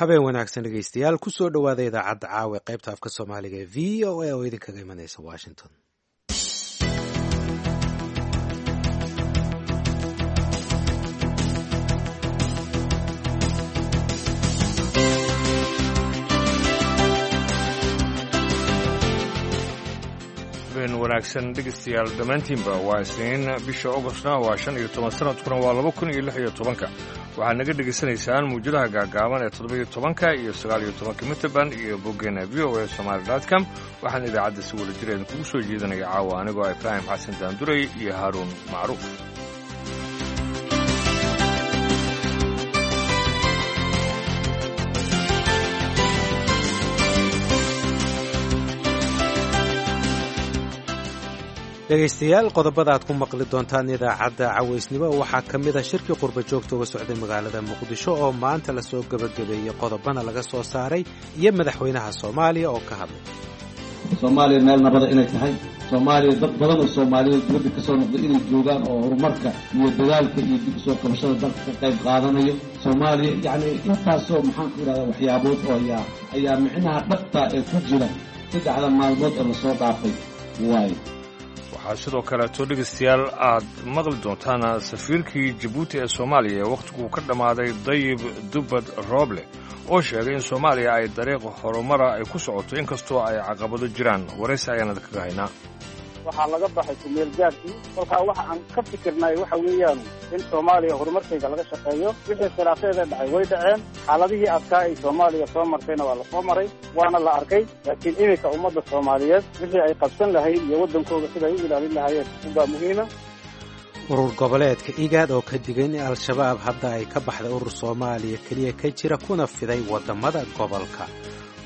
Habeen wanaagsan dhegeystayaal, kusoo dhowaada idaacadda caawa ee qaybta afka Soomaaliga ee VOA oo idinkaga imanaysa Washington. Habeen wanaagsan dhegeystayaal dhammaantiinba. Waa Isniin, bisha Ogostna waa 15, sanadkuna waa 2016-ka. Waxaad naga dhegaysanaysaan muwjadaha gaagaaban ee 17-ka iyo 19-ka mitrband iyo boggeena VOA Somali com. Waxaan idaacadda si wada jir idinkugu soo jeedinaya caawa anigoo Ibraahim Xasan Daanduray iyo Haaruun Macruuf. Dhegaystayaal, qodobada aad ku maqli doontaan idaacadda cawaysnimo waxaa ka mid ah shirkii qurba joogta uga socday magaalada Muqdisho oo maanta lasoo gebagabeeyey, qodobana laga soo saaray, iyo madaxweynaha Soomaaliya oo ka hadlay. Soomaaliya meel nabada inay tahay, Soomaaliya dad badan oo Soomaaliyeed dibadda ka soo noqday inay joogaan oo horumarka iyo dadaalka iyo dib usoo qabashada dalka ka qayb qaadanayo. Soomaaliya yacni intaasoo, maxaan ku idhahdaa, waxyaabood oo ayaa micnaha dhabta ee ku jira 3-da maalmood ee lasoo dhaafay waayo. Waxaa sidoo kaleeto dhegaystayaal aad maqli doontaan safiirkii Jabuuti ee Soomaaliya ee wakhtiguu ka dhammaaday, Dayib Dubbad Rooble, oo sheegay in Soomaaliya ay dariiq horumara ay ku socoto inkastoo ay caqabado jiraan. Waraysi ayaan idinkaga haynaa. Waxaa laga baxay kumeel gaarkii. Kolkaa waxa aan ka fikirnay waxa weeyaan in Soomaaliya horumarkayga laga shaqeeyo. Wixii khilaafeeda dhacay way dhaceen, xaaladihii adkaa ay Soomaaliya soo martayna waa lasoo maray, waana la arkay. Laakiin iminka ummadda Soomaaliyeed wixii ay qabsan lahayd iyo waddankooda siday u ilaalin lahaayeen unbaa muhiima. Urur goboleedka IGAD oo ka digay in Al-Shabaab hadda ay ka baxday urur Soomaaliya keliya ka jira kuna fiday waddamada gobolka.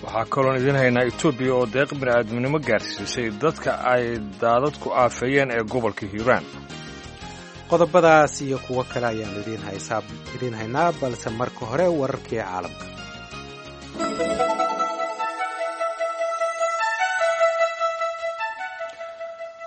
Waxaa kaloon idiin haynaa Etoobiya oo deeq bini'aadminimo gaarsiisay dadka ay daadadku aafeeyeen ee gobolka Hiiraan. Qodobadaas iyo kuwo kale ayaannu idiin haynaa, balse marka hore wararkii caalamka.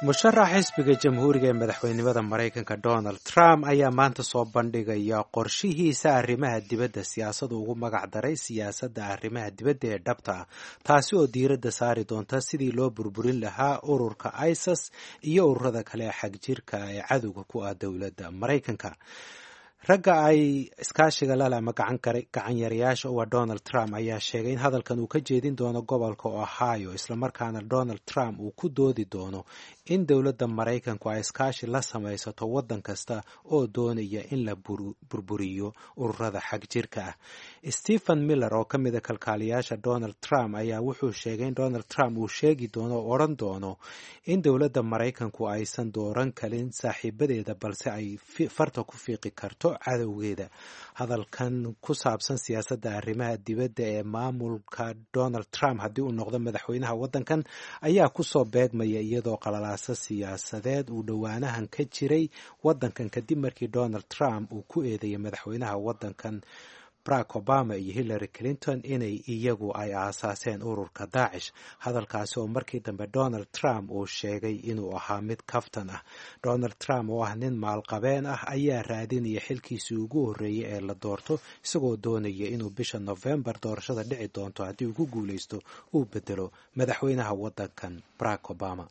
Musharax xisbiga Jamhuuriga ee madaxweynimada Maraykanka Donald Trump ayaa maanta soo bandhigaya qorshihiisa arrimaha dibadda, siyaasadu ugu magac daray siyaasadda arrimaha dibadda ee dhabta ah, taasi oo diiradda saari doonta sidii loo burburin lahaa ururka ISIS iyo ururada kale ee xagjirka ee cadowga ku ah dowladda Maraykanka. Ragga ay iskaashiga lale ama gacanyarayaasha u ah Donald Trump ayaa sheegay in hadalkan uu ka jeedin doono gobolka Ohio, islamarkaana Donald Trump uu ku doodi doono in dowladda Maraykanku ay iskaashi la samaysato waddan kasta oo doonaya in la burburiyo ururada xag jirka ah. Stephen Miller oo ka mida kalkaaliyaasha Donald Trump ayaa wuxuu sheegay in Donald Trump uu sheegi doono oo odhan doono in dowladda Maraykanku aysan dooran karin saaxiibadeeda, balse ay farta ku fiiqi karto cadowgeeda. Hadalkan ku saabsan siyaasadda arrimaha dibadda ee maamulka Donald Trump haddii uu noqdo madaxweynaha waddankan ayaa kusoo beegmaya iyadoo qalalaasa siyaasadeed uu dhowaanahan ka jiray waddankan, kadib markii Donald Trump uu ku eedeeyay madaxweynaha waddankan Barack Obama iyo Hillary Clinton inay iyagu ay aasaaseen ururka Daacish, hadalkaasi oo markii dambe Donald Trump uu sheegay inuu ahaa mid kaftan ah. Donald Trump oo ah nin maalqabeen ah ayaa raadinaya xilkiisii ugu horreeyey ee la doorto, isagoo doonaya inuu bisha Novembar doorashada dhici doonto haddii uu ku guulaysto uu bedelo madaxweynaha waddankan Barack Obama.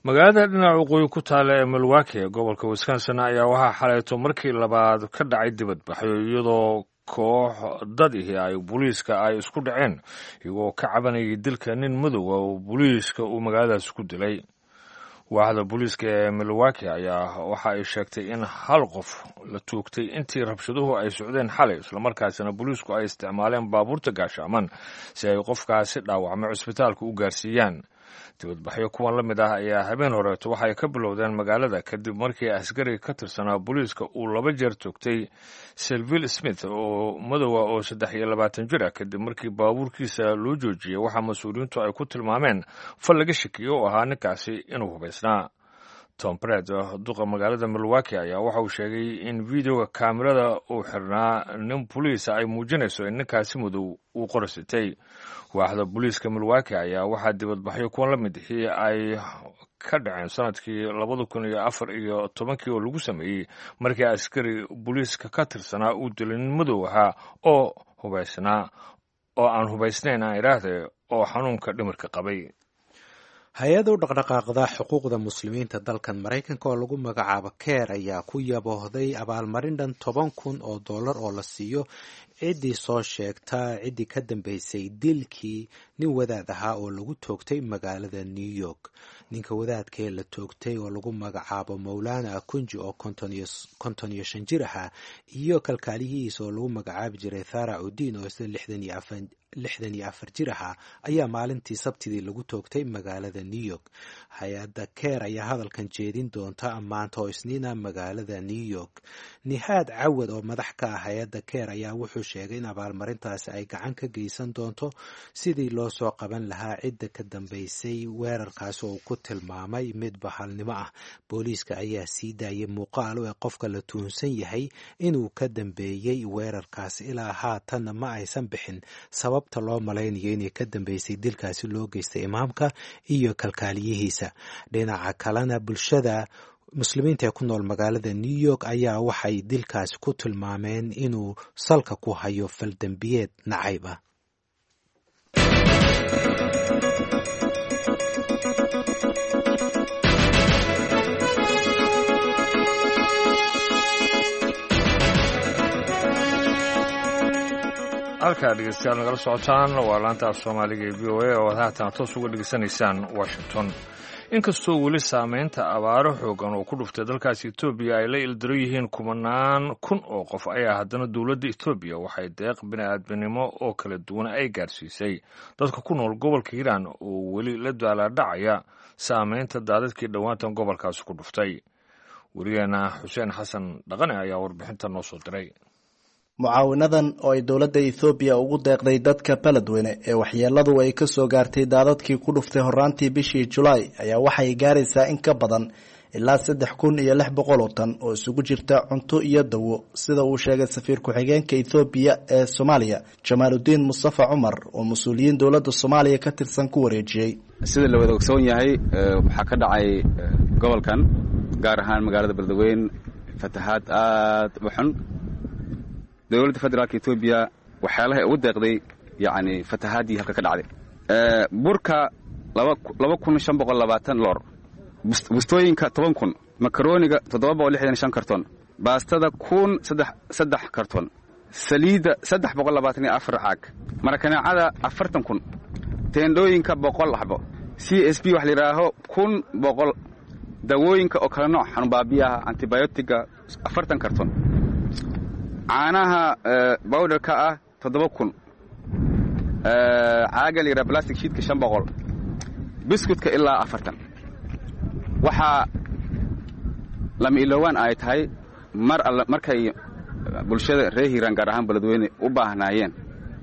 Magaalada dhinaca waqooyi ku taalla ee Milwaukee ee gobolka Wisconsin ayaa waxaa xaleeto markii labaad ka dhacay dibadbaxyo, iyadoo koox dad ihi ay booliiska ay isku dhaceen, iyagoo ka cabanayay dilka nin madowa oo booliiska uu magaaladaas ku dilay. Waaxda booliiska ee Milwaukee ayaa waxa ay sheegtay in hal qof la toogtay intii rabshaduhu ay socdeen xalay, islamarkaasina booliisku ay isticmaaleen baabuurta gaashaaman si ay qofkaasi dhaawacmay cusbitaalka u gaarsiiyaan. Dibadbaxyo kuwan la mid ah ayaa habeen horeeto waxay ka bilowdeen magaalada kadib markii askari ka tirsanaa booliiska uu laba jeer toogtay Sylville Smith oo madowa oo 23 jir ah, kadib markii baabuurkiisa loo joojiyey waxaa mas-uuliyiintu ay ku tilmaameen fal laga shakiyo oo ahaa ninkaasi inuu hubaysnaa. Tom Pret, duqa magaalada Milwaukee, ayaa waxa uu sheegay in videoga kaamirada uu xirnaa nin boliisa ay muujinayso in ninkaasi madow uu qorsitay. Waaxda booliiska Milwaukee ayaa waxaa dibadbaxyo kuwan la mid ixii ay ka dhaceen sanadkii 2014-kii oo lagu sameeyey markii askari booliiska ka tirsanaa uu dilay nin madow ahaa oo hubaysnaa oo aan hubaysnayn aan idhaahde oo xanuunka dhimirka qabay. Hay-ad u dhaqdhaqaaqda xuquuqda muslimiinta dalkan Maraykanka oo lagu magacaabo Keer ayaa ku yaboohday abaalmarin dhan 10,000 oo dollar oo la siiyo ciddii soo sheegta ciddii ka dambeysay dilkii nin wadaad ahaa oo lagu toogtay magaalada New York. Ninka wadaadkee la toogtay oo lagu magacaabo Mowlana Akunji oo 55 jir ahaa iyo kalkaaliyihiisa oo lagu magacaabi jiray Thara Udiin oo isla 64 jir ahaa ayaa maalintii Sabtidii lagu toogtay magaalada New York. Hay-adda Keer ayaa hadalkan jeedin doonta maanta oo Isniina magaalada New York. Nihaad Cawad oo madax ka ah hay-adda Keer ayaa wuxuu sheegay in abaalmarintaasi ay gacan ka geysan doonto sidii loo soo qaban lahaa cidda ka dambeysay weerarkaasi oo uu ku tilmaamay mid bahalnimo ah. Booliiska ayaa sii daayay muuqaal ee qofka la tuhunsan yahay inuu ka dambeeyey weerarkaasi. Ilaa haatanna ma aysan bixin sababta loo malaynayo inay ka dambeysay dilkaasi loo geystay imaamka iyo kalkaaliyihiisa. Dhinaca kalena, bulshada muslimiinta ee ku nool magaalada New York ayaa waxay dilkaasi ku tilmaameen inuu salka ku hayo faldembiyeed nacayb ah. Halkaa dhegeystayaal nagala socotaan waa laanta af Soomaaliga ee VOA oo aad haatan toos uga dhegeysanaysaan Washington. Inkastoo weli saameynta abaaro xoogan oo ku dhuftay dalkaasi Etoobiya ay la ildaro yihiin kumanaan kun oo qof, ayaa haddana dowladda Etoobiya waxay deeq bini'aadminimo oo kala duwan ay gaarsiisay dadka ku nool gobolka Hiiraan oo weli la daalaadhacaya saameynta daadadkii dhowaantan gobolkaasi ku dhuftay. Werigeena Xuseen Xasan Dhaqane ayaa warbixinta noo soo diray. Mucaawinadan oo ay dowladda Ethoobiya ugu deeqday dadka Beledweyne ee waxyeeladu ay ka soo gaartay daadadkii ku dhuftay horraantii bishii Julaay ayaa waxay gaaraysaa in ka badan ilaa 3,600 oo tan oo isugu jirta cunto iyo dawo, sida uu sheegay safiir ku-xigeenka Ethoobiya ee Soomaaliya, Jamaaludiin Mustafa Cumar, oo mas-uuliyiin dowladda Soomaaliya ka tirsan ku wareejiyey. Sida la wada ogsoon yahay, waxaa ka dhacay gobolkan, gaar ahaan magaalada Beledweyne, fatahaad aad u xun. Dowladda federaalka Etoobiya waxyaalahay ugu deeqday yacni fatahaadii halka ka dhacday, burka 2,520 loor, bustooyinka 10,000, makarooniga 765 karton, baastada 1,003 karton, saliidda 324 caag, marakaneecada 40,000, teendhooyinka 100 xabo, CSB wax la yidhaaho 1,100, dawooyinka oo kala nooc, xanuunbaabiyaha antibiotiga 40 karton, caanaha bowdharka ah 7,000, caaga la yidhaha plastic sheetka 500, biscuitka ilaa 40. Waxaa lama iloowaan ay tahay mar alle markay bulshada reer Hiiraan, gaar ahaan Beledweyne, u baahnaayeen,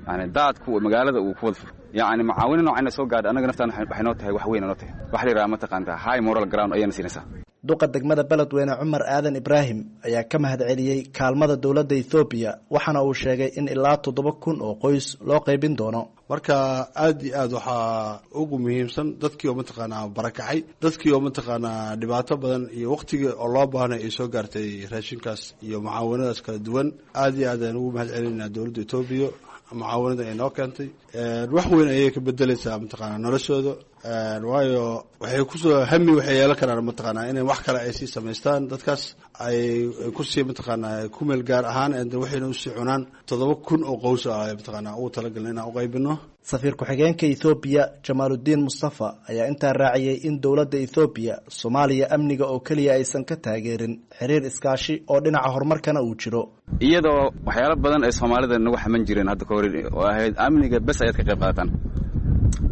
yani daadku magaalada uu ku wada furo, yacni mucaawino noocayna soo gaadha, annaga naftaan waxay noo tahay wax weyn noo tahay, waxa la yidhaha mataqaantaa high moral ground ayayna siinaysaa. Duqa degmada Beledweyne Cumar Aadan Ibraahim ayaa ka mahadceliyey kaalmada dowladda Ethoobiya, waxaana uu sheegay in ilaa 7,000 oo qoys loo qaybin doono. Marka aad iyo aad waxaa ugu muhiimsan dadkii oo mataqaanaa barakacay, dadkii oo mataqaanaa dhibaato badan iyo waqtigii oo loo baahnay ay soo gaartay raashinkaas iyo mucaawanadaas kala duwan. Aad iyo aad ayaan ugu mahad celinaynaa dowladda Etoobiya mucaawanada ay noo keentay. Wax weyn ayay ka bedelaysaa mataqaanaa noloshooda, waayo waxay kusoo hami waxay yeelan karaan mataqaanaa inay wax kale ay sii samaystaan, dadkaas ay kusii mataqaanaa ku meel gaar ahaan waxayna usii cunaan. 7,000 oo qows ah mataqaanaa ugu talagalna inaan uqaybino. Safiir ku-xigeenka Ethoobiya Jamaaludiin Mustafa ayaa intaa raaciyey in dowladda Ethoobiya Soomaaliya amniga oo keliya aysan ka taageerin, xiriir iskaashi oo dhinaca horumarkana uu jiro. Iyadoo waxyaalo badan ay soomaalida nagu xaman jireen hadda ka hor oo ahayd amniga bes ayaad ka qayb qaadataan,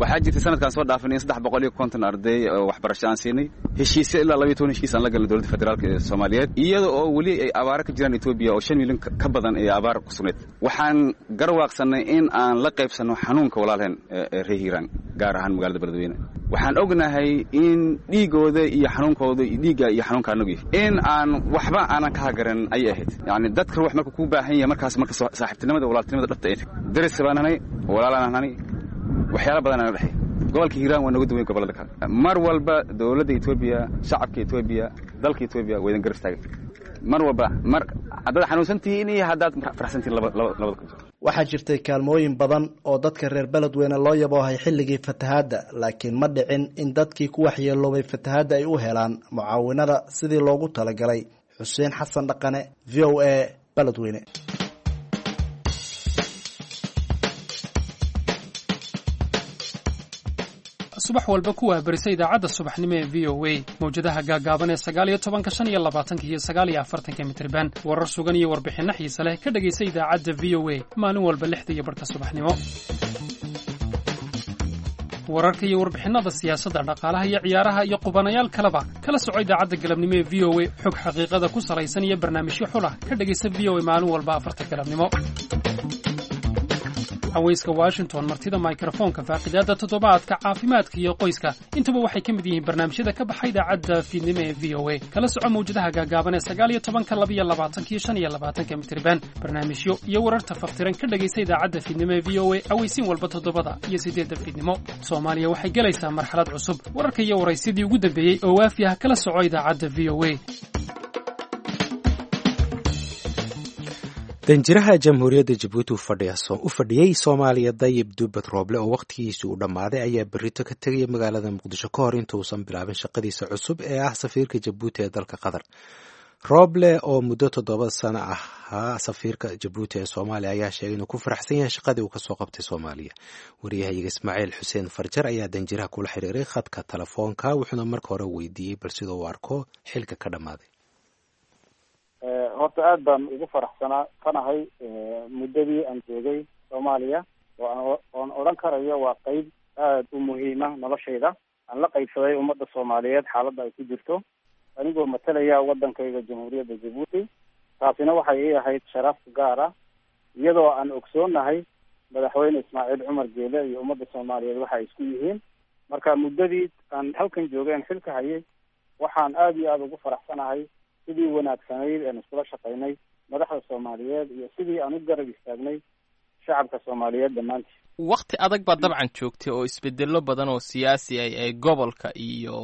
waxaa jirtay sanadkaan soo dhaafinay in 350 arday oo waxbarasho aan siinay, heshiisyo ilaa 12 heshiis aan la galnay dowladda federaalka ee Soomaaliyeed, iyada oo weli ay abaaro ka jiraan Etoobiya oo 5 milyan ka badan ee abaar ku sugnayd. Waxaan garwaaqsannay in aan la qaybsanno xanuunka walaalheen ee reer Hiiraan, gaar ahaan magaalada Beledweyne. Waxaan ognahay in dhiigooda iyo xanuunkooda iyo dhiigga iyo xanuunka anagu yahay in aan waxba aanan ka hagaran ayay ahayd. Yacni dadka ruux marka kuu baahan yahay markaas marka saaxiibtinimada walaaltinimada dhabta ay tahay, daris baan nahay, walaalaan nahay, waxyaala badan ana dhexey. Gobolka Hiiraan waa nooga duwan gobollada kale. Mar walba dowladda Etoobiya, shacabka Etoobiya, dalka Etoobiya waa idin garab istaagay mar walba, mar haddaad xanuunsan tihiin iyo haddaad faraxsan tihiin labada. Waxaa jirtay kaalmooyin badan oo dadka reer Beledweyne loo yaboohay xilligii fatahaadda, laakiin ma dhicin in dadkii ku waxyeeloobay fatahaadda ay u helaan mucaawinada sidii loogu talagalay. Xuseen Xasan Dhaqane, V O A, Beledweyne. Subax walba ku waabarisa idaacadda subaxnimo ee V O A, mawjadaha gaagaaban ee 19-ka, 25-ka iyo 49-ka mitriban. Warar sugan iyo warbixinno xiise leh ka dhegaysa idaacadda V O A maalin walba 6:30 subaxnimo. Wararka iyo warbixinnada siyaasadda, dhaqaalaha iyo ciyaaraha iyo qubanayaal kaleba kala soco idaacadda galabnimo ee V O A. Xog xaqiiqada ku salaysan iyo barnaamijyo xulah ka dhegaysa V O A maalin walba 4-ta galabnimo. Haweyska Washington, martida mikrofoonka, faaqidaadda toddobaadka, caafimaadka iyo qoyska, intuba waxay ka mid yihiin barnaamijyada ka baxa idaacadda fiidnimo ee V O A. Kala soco mawjadaha gaagaaban ee 19-ka, 22-ka iyo 25-ka mitriban. Barnaamijyo iyo wararta faftiran ka dhegaysa idaacadda fiidnimo ee V O A aweysiin walba 7-da iyo 8-da fiidnimo. Soomaaliya waxay gelaysaa marxalad cusub. Wararka iyo waraysyadii ugu dambeeyey oo waafi ah kala soco idaacadda V O A. Danjiraha Jamhuuriyadda Jabuuti u fadhiyey Soomaaliya, Dayib Duubad Rooble, oo wakhtigiisii uu dhammaaday, ayaa berrito ka tegaya magaalada Muqdisho ka hor intuusan bilaabin shaqadiisa cusub ee ah safiirka Jabuuti ee dalka Qatar. Rooble oo muddo 7 sano ahaa safiirka Jabuuti ee Soomaaliya ayaa sheegay inuu ku faraxsan yahay shaqadii uu kasoo qabtay Soomaaliya. Wariyahayaga Ismaaciil Xuseen Farjar ayaa danjiraha kula xiriiray khadka telefoonka, wuxuuna marka hore weydiiyey bal sida uu arko xilka ka dhammaaday. Horta aad baan ugu faraxsanaa kanahay muddadii aan joogay Soomaaliya, oo oon odhan karayo waa qeyb aada u muhiima noloshayda. Aan la qaybsaday ummadda Soomaaliyeed xaaladda ay ku jirto, anigoo matalaya waddankayga Jamhuuriyadda Jabuuti. Taasina waxay ii ahayd sharaf gaar ah, iyadoo aan ogsoonahay Madaxweyne Ismaaciil Cumar Geele iyo ummadda Soomaaliyeed waxa ay isku yihiin. Marka muddadii aan halkan joogay aan xilka hayay, waxaan aada iyo aada ugu faraxsanahay sidii wanaagsanayd aan iskula shaqaynay madaxda Soomaaliyeed iyo sidii aan u garab istaagnay shacabka Soomaaliyeed dhammaantii. Wakti adag baad dabcan joogtay oo isbedelo badan oo siyaasi ay ee gobolka iyo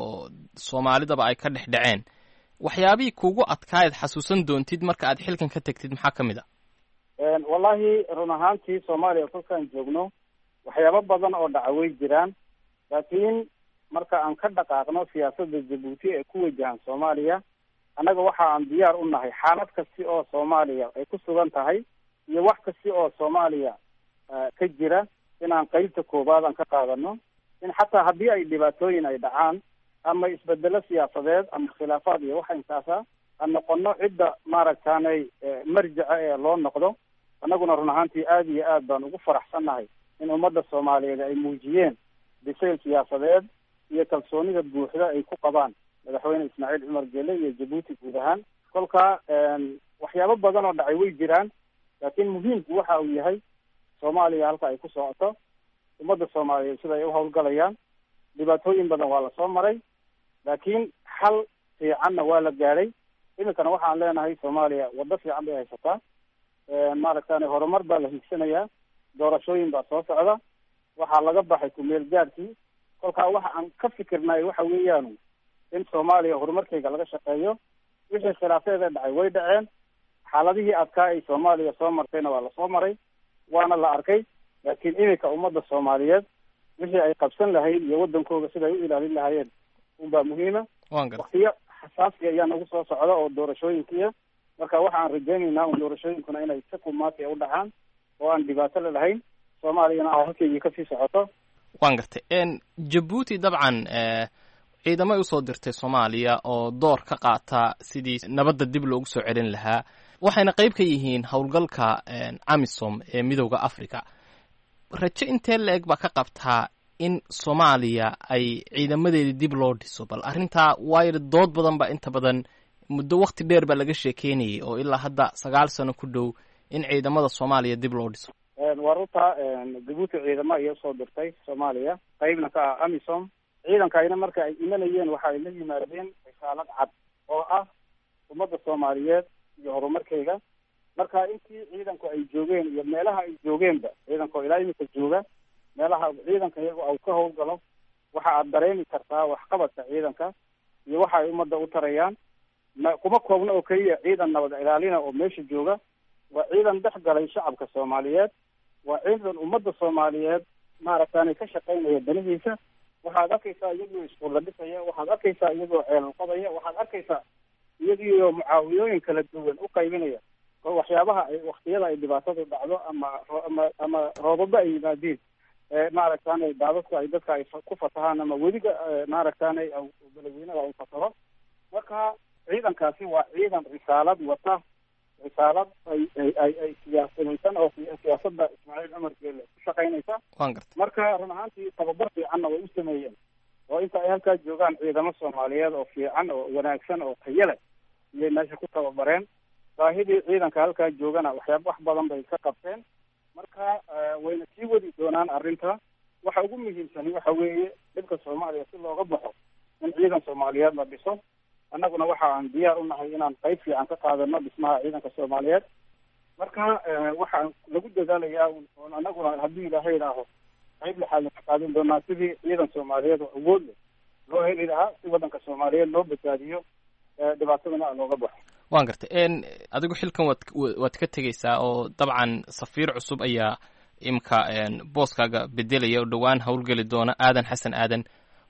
soomaalidaba ay ka dhex dhaceen. Waxyaabihii kugu adkaayaad xasuusan doontid marka aad xilkan ka tagtid maxaa ka mid a? Wallahi, run ahaantii Soomaaliya kolkaan joogno waxyaabo badan oo dhaca way jiraan, laakiin marka aan ka dhaqaaqno siyaasadda Jabuuti ee ku wajahan Soomaaliya, annaga waxa aan diyaar u nahay xaalad kasti oo Soomaaliya ay ku sugan tahay iyo wax kasti oo Soomaaliya ka jira inaan qeybta koowaad aan ka qaadano, in xataa haddii ay dhibaatooyin ay dhacaan ama isbedelo siyaasadeed ama khilaafaad iyo waxa intaasa, aan noqono cidda maaragtaanay marjaca ee loo noqdo. Annaguna run ahaantii aada iyo aad baan ugu faraxsannahay in ummadda Soomaaliyeed ay muujiyeen bisayl siyaasadeed iyo kalsoonida buuxda ay ku qabaan Madaxweyne Ismaaciil Cumar Geele iyo Jabuuti guud ahaan. Kolka waxyaabo badan oo dhacay way jiraan, laakiin muhiimku waxa uu yahay Soomaaliya halka ay ku socoto, ummadda Soomaaliyeed sida ay u hawlgalayaan. Dhibaatooyin badan waa lasoo maray, laakiin xal fiicanna waa la gaadhay. Iminkana waxaan leenahay Soomaaliya waddo fiican bay haysataa, maaragtane horumar baa la hiigsanayaa, doorashooyin baa soo socda, waxaa laga baxay kumeel gaadhkii. Kolkaa waxa aan ka fikirnay waxa weeyaan in Soomaaliya horumarkeyga laga shaqeeyo. Wixii khilaafeeda dhacay way dhaceen, xaaladihii adkaa ay Soomaaliya soo martayna waa lasoo maray, waana la arkay, laakiin iminka ummadda Soomaaliyeed wixii ay qabsan lahayd iyo waddankooga siday u ilaalin lahaayeen unbaa muhiima. Waktiyo xasaasi ayaa nagu soo socda oo doorashooyinkiia. Marka waxa aan rajaynaynaa un doorashooyinkuna inay si kumaati u dhacaan oo aan dhibaato la lahayn, Soomaaliyana a halkeygii kasii socoto. Waan gartay. Jabuuti dabcan ciidamay usoo dirtay Soomaaliya oo door ka qaata sidii nabadda dib loogu soo celin lahaa, waxayna qayb ka yihiin howlgalka AMISOM ee Midowda Africa. Rajo intee la-eg baa ka qabtaa in Soomaaliya ay ciidamadeedii dib loo dhiso? Bal arrintaa waayo dood badan baa inta badan muddo wakti dheer baa laga sheekeynayay oo ilaa hadda 9 sano ku dhow in ciidamada Soomaaliya dib loo dhiso. Waa runta, Jabuuti ciidamo ayay usoo dirtay Soomaaliya, qaybna ka ah AMISOM. Ciidankayna marka ay imanayeen waxa ay la yimaadeen risaalad cad oo ah ummadda Soomaaliyeed iyo horumarkeyga. Marka intii ciidanku ay joogeen iyo meelaha ay joogeenba, ciidanka oo ilaa iminka jooga meelaha ciidanka iyago au ka howlgalo, waxa aad dareemi kartaa waxqabadka ciidanka iyo waxa ay ummadda u tarayaan. Ma kuma koobna oo keliya ciidan nabad ilaalina oo meesha jooga, waa ciidan dhex galay shacabka Soomaaliyeed. Waa ciidan ummadda Soomaaliyeed maaragtaanay ka shaqaynaya danihiisa. Waxaad arkaysaa iyagoo iskuulla dhisaya, waxaad arkaysaa iyagoo ceelal qodaya, waxaad arkaysaa iyagiioo mucaawiyooyin kala duwan u qaybinaya oo waxyaabaha ay waktiyada ay dhibaatadu dhacdo ama roobaba ay yimaadiin, maaragtaanay daadadku ay dadka ay ku fatahaan ama weliga maaragtaanay beledweynaha uu fataro. Marka ciidankaasi waa ciidan risaalad wata, risaalad ay siyaasadaysan oo siyaasadda Ismaaciil Cumar Geele ku shaqaynaysa. Waan gartay. Marka run ahaantii tababar fiicanna way u sameeyeen, oo inta ay halkaa joogaan ciidamo Soomaaliyeed oo fiican oo wanaagsan oo tayo leh iyay meesha ku tababareen. Baahidii ciidanka halkaa joogana waxyaaba wax badan bay ka qabteen. Marka wayna sii wadi doonaan arrinta. Waxa ugu muhiimsani waxa weeye dhibka Soomaaliya si looga baxo in ciidan Soomaaliyeed la dhiso. Annaguna waxa aan diyaar u nahay inaan qayb fiican ka qaadano dhismaha ciidanka Soomaaliyeed. Marka waxaan lagu dadaalayaa oon annaguna haddii Ilaahay idhaaho qayb lixaad ka qaadan doonaa sidii ciidan Soomaaliyeed oo awood leh loo heli lahaa, si waddanka Soomaaliyeed loo badbaadiyo, dhibaatadana looga baxo. Waan gartay. Adigu xilkan waad ka tegeysaa oo dabcan safiir cusub ayaa imka booskaaga bedelaya oo dhowaan howlgeli doona, Aadan Xasan Aadan.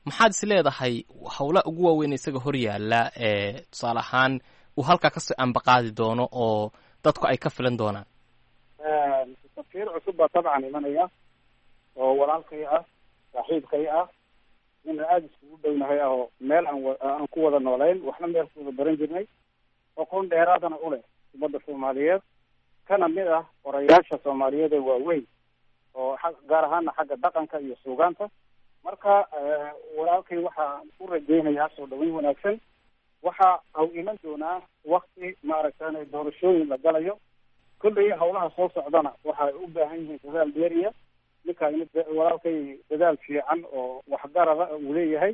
Maxaad is leedahay howlaha ugu waaweyn isaga hor yaalla ee tusaale ahaan uu halkaa kasoo ambaqaadi doono oo dadku ay ka filan doonaan? Safiir cusub baa dabcan imanaya oo walaalkay ah, saaxiibkay ah, ina aada iskugu dhownahay ah, oo meel aan ku wada noolayn, waxna meel ku wada baran jirnay, aqoon dheeraadana u leh ummadda Soomaaliyeed, kana mid ah qorayaasha Soomaaliyeed ee waaweyn oo gaar ahaana xagga dhaqanka iyo suugaanta. Marka walaalkay waxaan u rajaynayaa soo dhaweyn wanaagsan. Waxa au iman doonaa wakti maaragtaanay doorashooyin la galayo. Kolley howlaha soo socdana waxay u baahan yihiin dadaal dheeriya. Ninka walaalkay dadaal fiican oo waxgarada uu leeyahay,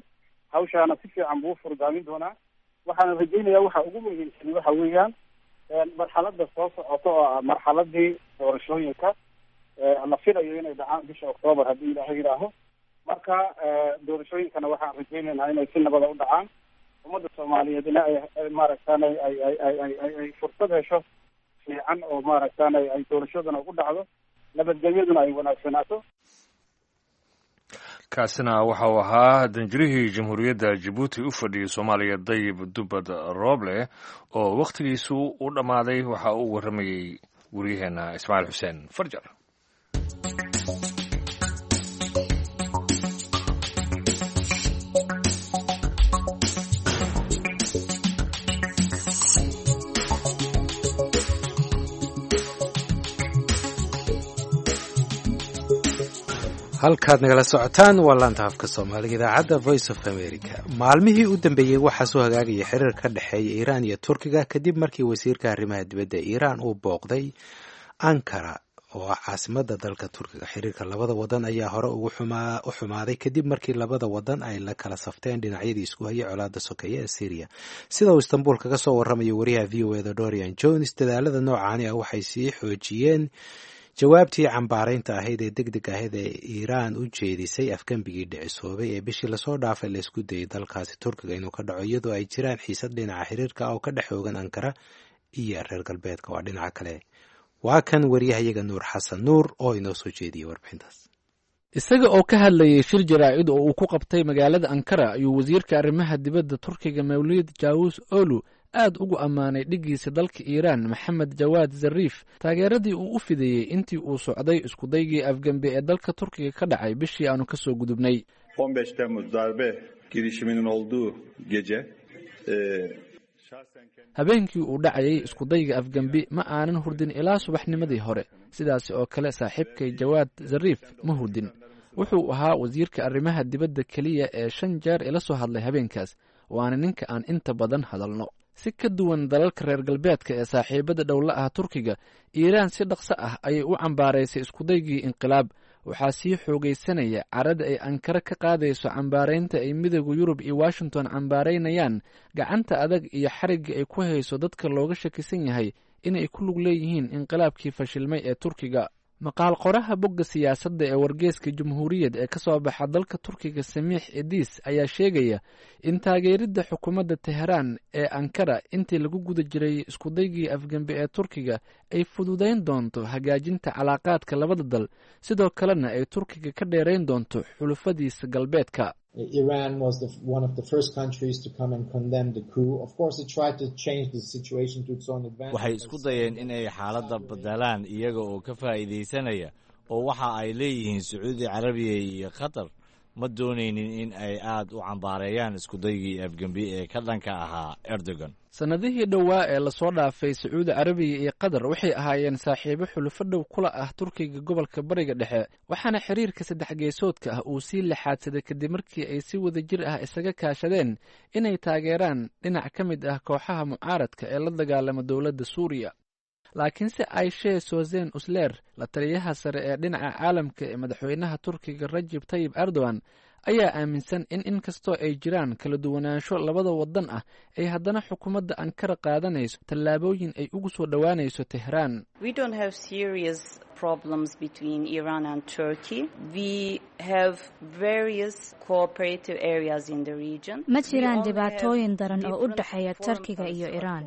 hawshaana si fiican buu furgaamin doonaa. Waxaana rajaynayaa waxa ugu muhiimsan waxa weeyaan marxaladda soo socota oo ah marxaladii doorashooyinka la filayo inay dhacaan bisha Octoobar haddii Ilaahay yidhaaho. Marka doorashooyinkana waxaan rajaynaynaa inay si nabada u dhacaan, ummadda Soomaaliyeedna ay maaragtaanay ay ay ay ay ay ay fursad hesho fiican oo maaragtaanay ay doorashaduna ugu dhacdo, nabadgelyaduna ay wanaagsanaato. Kaasina waxa uu ahaa danjirihii Jamhuuriyadda Jabuuti u fadhiyey Soomaaliya, Dayib Dubad Rooble, oo wakhtigiisu u dhammaaday. Waxa uu warramayey waryaheena Ismaaciil Xuseen Farjar. Halkaad nagala socotaan waa laanta afka Soomaaliga idaacadda Voice of America. Maalmihii u dambeeyey waxaa soo hagaagaya xiriir ka dhexeeya Iiraan iyo Turkiga kadib markii wasiirka arrimaha dibadda Iiraan uu booqday Ankara oo ah caasimadda dalka Turkiga. Xiriirka labada wadan ayaa hore ugu u xumaaday kadib markii labada wadan ay la kala safteen dhinacyadii isku hayay colaadda sokeeye ee Syriya. Sida uu Istanbul kaga soo warramayo wariyaha VOA da Dorian Jones, dadaalada noocaani ah waxay sii xoojiyeen jawaabtii cambaaraynta ahayd ee deg deg ahayd ee Iiraan u jeedisay afgembigii dhicisoobay ee bishii lasoo dhaafay la isku dayay dalkaasi Turkiga inuu ka dhaco, iyadoo ay jiraan xiisad dhinaca xiriirka ah oo ka dhex oogan Ankara iyo reer galbeedka. Waa dhinaca kale, waa kan wariyahayaga Nuur Xasan Nuur oo inoo soo jeediyey warbixintaas. Isaga oo ka hadlayay shir jaraa'id oo uu ku qabtay magaalada Ankara ayuu wasiirka arrimaha dibadda Turkiga Mawlid Jaawus Olu aad ugu ammaanay dhiggiisa dalka Iiraan Maxamed Jawaad Zariif taageeradii uu u fideeyey intii uu socday iskudaygii afgembe ee dalka Turkiga ka dhacay bishii aanu ka soo gudubnay. 15 Temmuz darbe girişiminin olduğu gece Habeenkii uu dhacayay iskudayga afgembi ma aanan hurdin ilaa subaxnimadii hore. Sidaasi oo kale saaxiibkay Jawaad Zariif ma hurdin. Wuxuu ahaa wasiirka arrimaha dibadda keliya ee shan jeer ila soo hadlay habeenkaas, waana ninka aan inta badan hadalno. Si ka duwan dalalka reer galbeedka ee saaxiibada dhowla ah Turkiga, Iiraan si dhaqso ah ayay u cambaaraysay iskudaygii inqilaab. Waxaa sii xoogaysanaya carada ay Ankara ka qaadayso cambaaraynta ay Midooda Yurub iyo Washington cambaaraynayaan gacanta adag iyo xarigga ay ku hayso dadka looga shakisan yahay inay ku lug leeyihiin inqilaabkii fashilmay ee Turkiga. Maqaal qoraha bogga siyaasadda ee wargeeska Jamhuuriyad ee ka soo baxa dalka Turkiga, Samiix Ediis, ayaa sheegaya in taageeridda xukuumadda Teheraan ee Ankara intii lagu guda jiray iskudaygii afgembe ee Turkiga ay fududayn doonto hagaajinta calaaqaadka labada dal, sidoo kalena ay Turkiga ka dheerayn doonto xulufadiisa galbeedka. Iran was one of the first countries to come and condemn the coup. Of course, it tried to change the situation to its own advantage. Waxay isku dayeen in ay xaaladda bedelaan iyaga oo ka faa'iidaysanaya, oo waxa ay leeyihiin Sacuudi Carabiya iyo Qatar ma doonaynin in ay aad u cambaareeyaan iskudaygii afgembi ee ka dhanka ahaa Erdogan. Sannadihii dhowaa ee lasoo dhaafay, Sacuudi Carabiya iyo Qatar waxay ahaayeen saaxiibo xulufo dhow kula ah Turkiga gobolka Bariga Dhexe, waxaana xiriirka saddex geesoodka ah uu sii lixaadsaday kadib markii ay si wadajir ah isaga kaashadeen inay taageeraan dhinac ka mid ah kooxaha mucaaradka ee la dagaalama dowladda Suuriya. Laakiinse Ayshe Sozen Usler, la taliyaha sare ee dhinaca caalamka ee madaxweynaha Turkiga Rajib Tayib Erdogan, ayaa aaminsan in inkastoo ay jiraan kala duwanaansho labada wadan ah, ay haddana xukuumadda Ankara qaadanayso tallaabooyin ay ugu soo dhowaanayso Tehraan. Ma jiraan dhibaatooyin daran oo u dhexeeya Turkiga iyo Iiraan.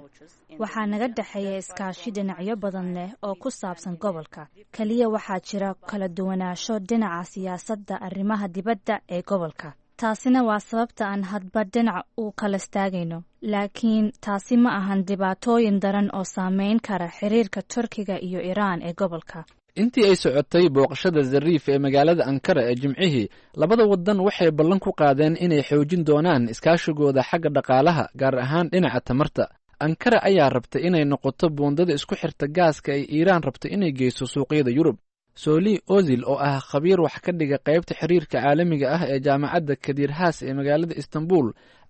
Waxaa naga dhexeeya iskaashi dhinacyo badan leh oo ku saabsan gobolka. Keliya waxaa jira kala duwanaansho dhinaca siyaasadda arrimaha dibadda ee gobolka. Taasina waa sababta aan hadba dhinac u kala istaagayno, laakiin taasi ma ahan dhibaatooyin daran oo saameyn kara xiriirka Turkiga iyo Iiraan ee gobolka. Intii ay socotay booqashada Zariif ee magaalada Ankara ee Jimcihii, labada wadan waxay ballan ku qaadeen inay xoojin doonaan iskaashigooda xagga dhaqaalaha, gaar ahaan dhinaca tamarta. Ankara ayaa rabta inay noqoto buundada isku xirta gaaska ay Iiraan rabto inay geyso suuqyada Yurub. Soli Ozil, oo ah khabiir wax ka dhiga qaybta xiriirka caalamiga ah ee jaamacadda Kadiir Haas ee magaalada Istanbul,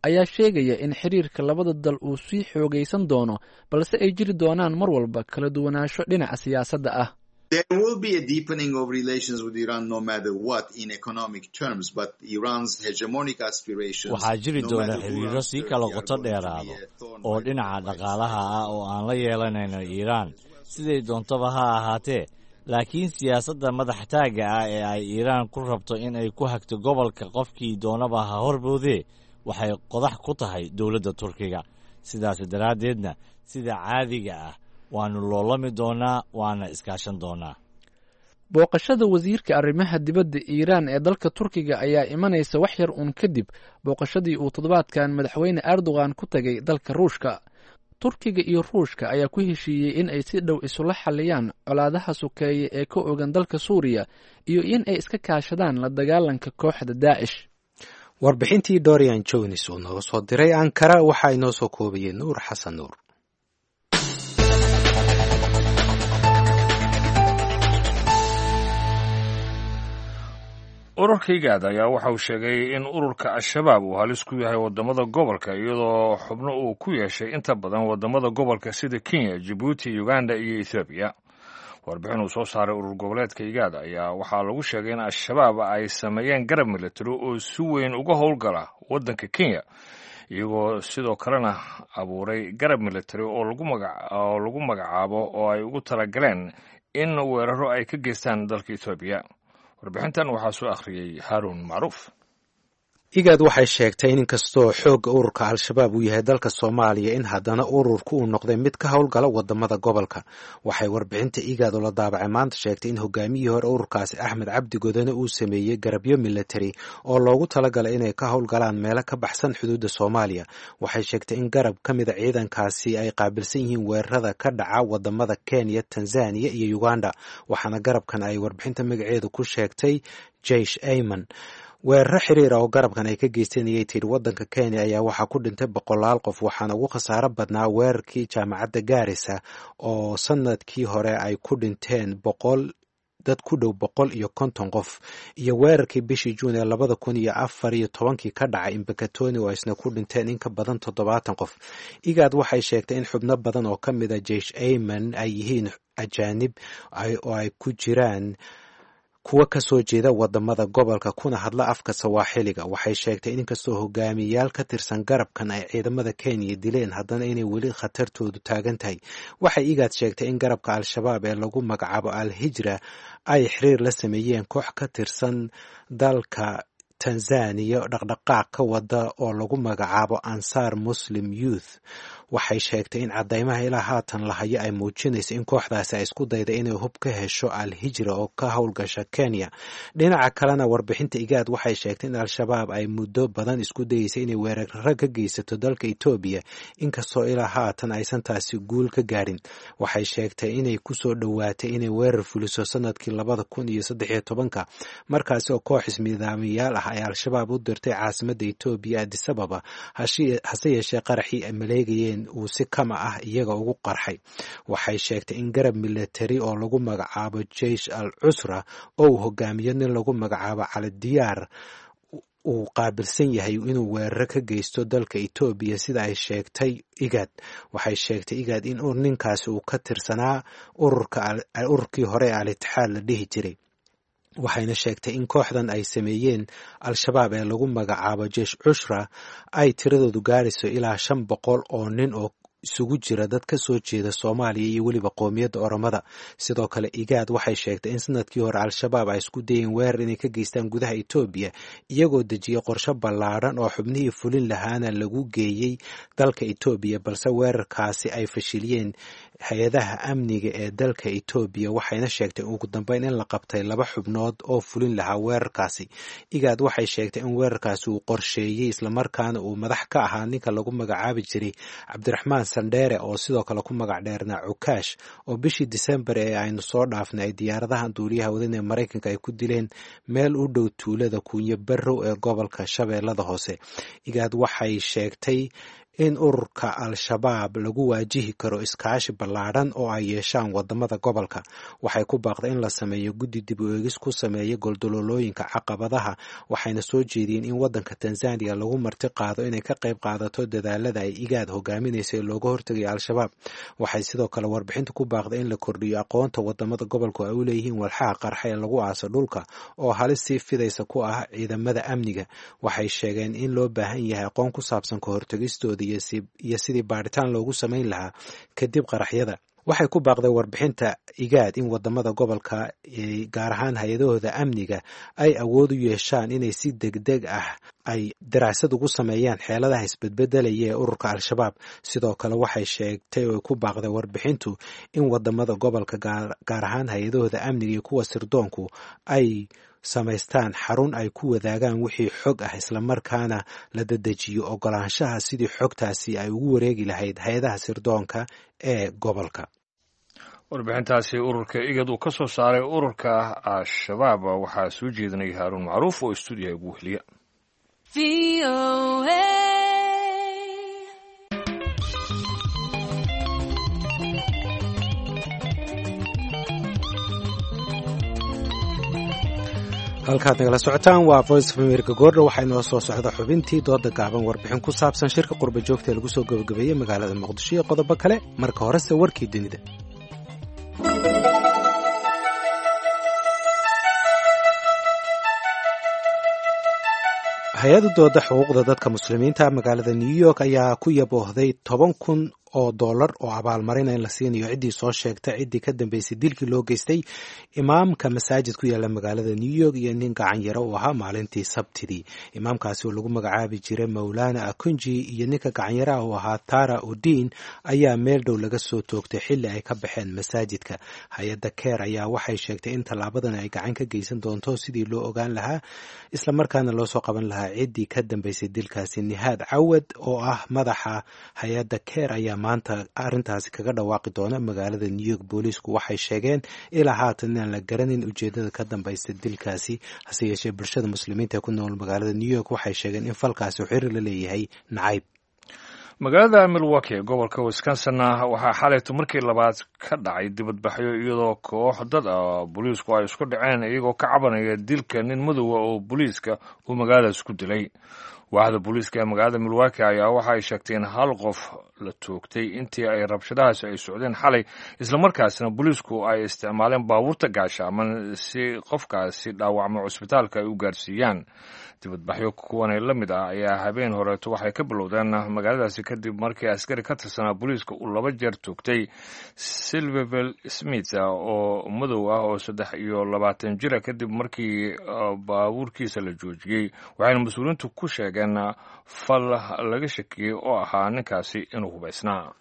ayaa sheegaya in xiriirka labada dal uu sii xoogaysan doono, balse ay jiri doonaan mar walba kala duwanaansho dhinaca siyaasadda ah. There will be a deepening of relations with Iran no matter what in economic terms, but Iran's hegemonic aspirations. Waxaa jiri doona xiriiro sii kala qoto dheeraado oo dhinaca dhaqaalaha ah oo aan la yeelanayno Iiraan, siday doontaba ha ahaatee, laakiin siyaasadda madax taagga ah ee ay Iiraan ku rabto in ay ku hagto gobolka, qofkii doonaba ha horboodee, waxay qodax ku tahay dowladda Turkiga. Sidaas daraaddeedna, sida caadiga ah, waannu loolami doonaa waana iskaashan doonaa. Booqashada wasiirka arrimaha dibadda Iiraan ee dalka Turkiga ayaa imanaysa wax yar uun kadib booqashadii uu toddobaadkan madaxweyne Erdogan ku tagay dalka Ruushka. Turkiga iyo Ruushka ayaa ku heshiiyey in ay si dhow isula xaliyaan colaadaha sokeeye ee ka ogan dalka Suuriya iyo in ay iska kaashadaan la dagaalanka kooxda Daacish. Warbixintii Dorian Jones uu nooga soo diray Ankara waxaa inoo soo koobayay Nuur Xasan Nuur. Ururka IGAD ayaa waxa uu sheegay in ururka Al-Shabaab uu halis ku yahay waddamada gobolka, iyadoo xubno uu ku yeeshay inta badan waddamada gobolka sida Kenya, Jabuuti, Uganda iyo Ethoobiya. Warbixin uu soo saaray urur goboleedka IGAD ayaa waxaa lagu sheegay in Al-Shabaab ay sameeyeen garab militari oo si weyn uga howlgala waddanka Kenya, iyagoo sidoo kalena abuuray garab militari oo lagu magacaabo oo ay ugu talagaleen in weeraro ay ka geystaan dalka Ethoobiya. Warbixintan waxaa soo akhriyey Haaruun Macruuf. IGAD waxay sheegtay in inkastoo xoogga ururka Al-Shabaab uu yahay dalka Soomaaliya, in haddana ururku uu noqday mid ka howlgala wadamada gobolka. Waxay warbixinta IGAD oo la daabacay maanta sheegtay in hogaamiyihii hore ururkaasi Axmed Cabdi Godane uu sameeyey garabyo militari oo loogu talagalay inay ka howlgalaan meelo ka baxsan xuduudda Soomaaliya. Waxay sheegtay in garab ka mida ciidankaasi ay qaabilsan yihiin weerarada ka dhaca wadamada Kenya, Tanzania iyo Uganda, waxaana garabkan ay warbixinta magaceedu ku sheegtay Jeish Ayman. Weeraro xiriira oo garabkan ay ka geysteen ayay tidhi waddanka Kenya ayaa waxaa ku dhintay boqolaal qof, waxaana ugu khasaaro badnaa weerarkii jaamacadda Gaarisa oo sanadkii hore ay ku dhinteen 100 dad ku dhow 150 qof, iyo weerarkii bishii Juun ee 2014-kii ka dhacay Imbakatoni oo isna ku dhinteen in ka badan 70 qof. IGAD waxay sheegtay in xubno badan oo ka mid a Jeish Ayman ay yihiin ajaanib oo ay ku jiraan Kuwa kasoo jeeda wadamada gobolka kuna hadla afka Sawaaxiliga. Waxay sheegtay in inkastoo hogaamiyayaal ka tirsan garabkan ay ciidamada Kenya dileen, haddana inay weli khatartoodu taagan tahay. Waxay IGAD sheegtay in garabka Al-Shabaab ee lagu magacaabo Al-Hijra ay xiriir la sameeyeen koox ka tirsan dalka Tanzaniya dhaqdhaqaaq ka wada oo lagu magacaabo Ansaar Muslim Youth. Waxay sheegtay in caddaymaha ilaa haatan la hayo ay muujinayso in kooxdaasi ay isku dayda inay hub ka hesho Al-Hijra oo ka howlgasha Kenya. Dhinaca kalena, warbixinta IGAD waxay sheegtay in Al-Shabaab ay muddo badan isku dayeysay inay weeraro ka geysato dalka Etoobiya, inkastoo ilaa haatan aysan taasi guul ka gaarin. Waxay sheegtay inay kusoo dhowaatay inay weerar fuliso sanadkii 2013-ka, markaasi oo koox ismidaamiyaal ah ay Al-Shabaab u dirtay caasimadda Etoobiya, Addis Ababa, hase yeeshee qaraxii ay maleegayeen uu si kama ah iyaga ugu qarxay. Waxay sheegtay in garab milatari oo lagu magacaabo Jeish al Cusra oo uu hogaamiyo nin lagu magacaabo Cali Diyaar uu qaabilsan yahay inuu weeraro ka geysto dalka Etoobiya, sida ay sheegtay IGAD. Waxay sheegtay IGAD in ninkaasi uu ka tirsanaa ururkii hore ee Al-Itixaad la dhihi jiray. Waxayna sheegtay in kooxdan ay sameeyeen Al-Shabaab ee lagu magacaabo Jeish Cushra ay tiradoodu gaarayso ilaa 500 oo nin oo isugu jira dad ka soo jeeda Soomaaliya iyo weliba qoomiyadda Oromada. Sidoo kale, IGAD waxay sheegtay in sanadkii hore Al-Shabaab ay isku dayeen weerar inay ka geystaan gudaha Etoobiya, iyagoo dejiyey qorshe ballaadhan oo xubnihii fulin lahaana lagu geeyey dalka Etoobiya, balse weerarkaasi ay fashiliyeen hay-adaha amniga ee dalka Etoobiya. Waxayna sheegtay ugu dambeyn in la qabtay laba xubnood oo fulin lahaa weerarkaasi. IGAD waxay sheegtay in weerarkaasi uu qorsheeyey islamarkaana uu madax ka ahaa ninka lagu magacaabi jiray Cabdiraxmaan Sandheere, oo sidoo kale ku magac dheernaa Cukaash, oo bishii Disembar ee aynu soo dhaafnay ay diyaaradahan duuliyaha wadan ee Maraykanka ay ku dileen meel u dhow tuulada Kuunyo Barrow ee gobolka Shabeellada Hoose. IGAD waxay sheegtay in ururka Al-Shabaab lagu waajihi karo iskaashi ballaadhan oo ay yeeshaan wadamada gobolka. Waxay ku baaqday in la sameeyo guddi dib u eegis ku sameeya goldololooyinka caqabadaha, waxayna soo jeediyeen in wadanka Tanzaniya lagu marti qaado inay ka qayb qaadato dadaalada ay IGAD hogaaminaysa ee looga hortegayo Al-Shabaab. Waxay sidoo kale warbixinta ku baaqday in la kordhiyo aqoonta wadamada gobolku ay u leeyihiin walxaha qarxa ee lagu aaso dhulka oo halis sii fidaysa ku ah ciidamada amniga. Waxay sheegeen in loo baahan yahay aqoon ku saabsan ka hortegistooda iyo sidii baadhitaan loogu samayn lahaa kadib qaraxyada. Waxay ku baaqday warbixinta IGAD in wadamada gobolka, gaar ahaan hay-adahooda amniga, ay awood u yeeshaan inay si degdeg ah ay daraasad ugu sameeyaan xeeladaha isbedbedelaya ee ururka Al-Shabaab. Sidoo kale, waxay sheegtay oo ku baaqday warbixintu in wadamada gobolka, gaar ahaan hay-adahooda amniga iyo kuwa sirdoonku, ay samaystaan xarun ay ku wadaagaan wixii xog ah, islamarkaana la dedejiyo ogolaanshaha sidii xogtaasi ay ugu wareegi lahayd hay-adaha sirdoonka ee gobolka. Warbixintaasi ururka IGAD uu ka soo saaray ururka Al-Shabaab waxaa soo jeedinaya Haaruun Macruuf oo istuudiyaha ugu weheliya. Halkaad nagala socotaan waa Voice of America. Goordha waxaa inoo soo socda xubintii dooda gaaban, warbixin ku saabsan shirka qurba joogta ee lagu soo gabagabeeyey magaalada Muqdisho iyo qodobo kale. Marka horese warkii dunida. Hay-adda dooda xuquuqda dadka muslimiinta magaalada New York ayaa ku yaboohday 10,000 oo dollar oo abaalmarina in la siinayo ciddii soo sheegta ciddii ka dambeysay dilkii loo geystay imaamka masaajid ku yaalla magaalada New York iyo nin gacan yaro uu ahaa maalintii Sabtidii. Imaamkaasi oo lagu magacaabi jiray Mowlana Akunji iyo ninka gacanyaraha uu ahaa Tara Udin ayaa meel dhow laga soo toogtay xilli ay ka baxeen masaajidka. Hay-adda Keer ayaa waxay sheegtay in tallaabadan ay gacan ka geysan doonto sidii loo ogaan lahaa islamarkaana loo soo qaban lahaa ciddii ka dambeysay dilkaasi. Nihaad Cawad oo ah madaxa hay-adda Keer ayaa maanta arrintaasi kaga dhawaaqi doona magaalada New York. Booliisku waxay sheegeen ilaa haatan inaan la garanin ujeedada ka dambaysa dilkaasi, hase yeeshee bulshada muslimiinta ee ku nool magaalada New York waxay sheegeen in falkaasi uu xiriir la leeyahay nacayb. Magaalada Milwaukee, gobolka Wisconsina, waxaa xalayto markii labaad ka dhacay dibadbaxyo, iyadoo koox dad ah booliisku ay isku dhaceen iyagoo ka cabanaya dilka nin madowa oo booliiska uu magaaladaas ku dilay. Waaxda booliiska ee magaalada Milwaukee ayaa waxa ay sheegtay in hal qof la toogtay intii ay rabshadahaasi ay socdeen xalay, islamarkaasina booliisku ay isticmaaleen baabuurta gaashaaman si qofkaasi dhaawacmo cusbitaalka ay u gaarsiiyaan. Dibadbaxyo kuwanay la mid ah ayaa habeen horeeto waxay ka bilowdeen magaaladaasi kadib markii askari ka tirsanaa booliiska uu 2 jeer toogtay Silverville Smith oo madow ah oo 23 jira kadib markii baabuurkiisa la joojiyey, waxayna mas-uuliyiintu ku sheegeen fal laga shakiyey oo ahaa ninkaasi inuu hubaysnaa.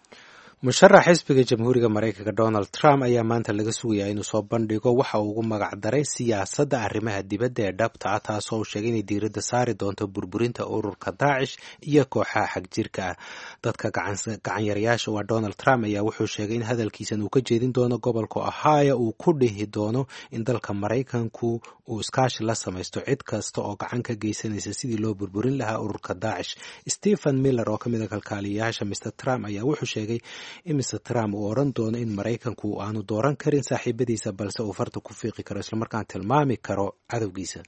Musharax xisbiga Jamhuuriga Maraykanka Donald Trump ayaa maanta laga sugayaa inuu soo bandhigo waxa uu ugu magac daray siyaasadda arrimaha dibadda ee dhabta ah, taasoo uu sheegay inay diiradda saari doonto burburinta ururka Daacish iyo kooxaha xagjirka ah. Dadka gacanyarayaasha waa Donald Trump ayaa wuxuu sheegay in hadalkiisan uu ka jeedin doono gobolka Ohio, uu ku dhihi doono in dalka Maraykanku uu iskaashi la samaysto cid kasta oo gacan ka geysanaysa sidii loo burburin lahaa ururka Daacish. Stephen Miller oo ka mid a kalkaaliyayaasha Mr Trump ayaa wuxuu sheegay in Mr Trump uu odhan doono in Maraykanku aanu dooran karin saaxiibadiisa, balse uu farta ku fiiqi karo islamarkaan tilmaami karo cadowgiisa.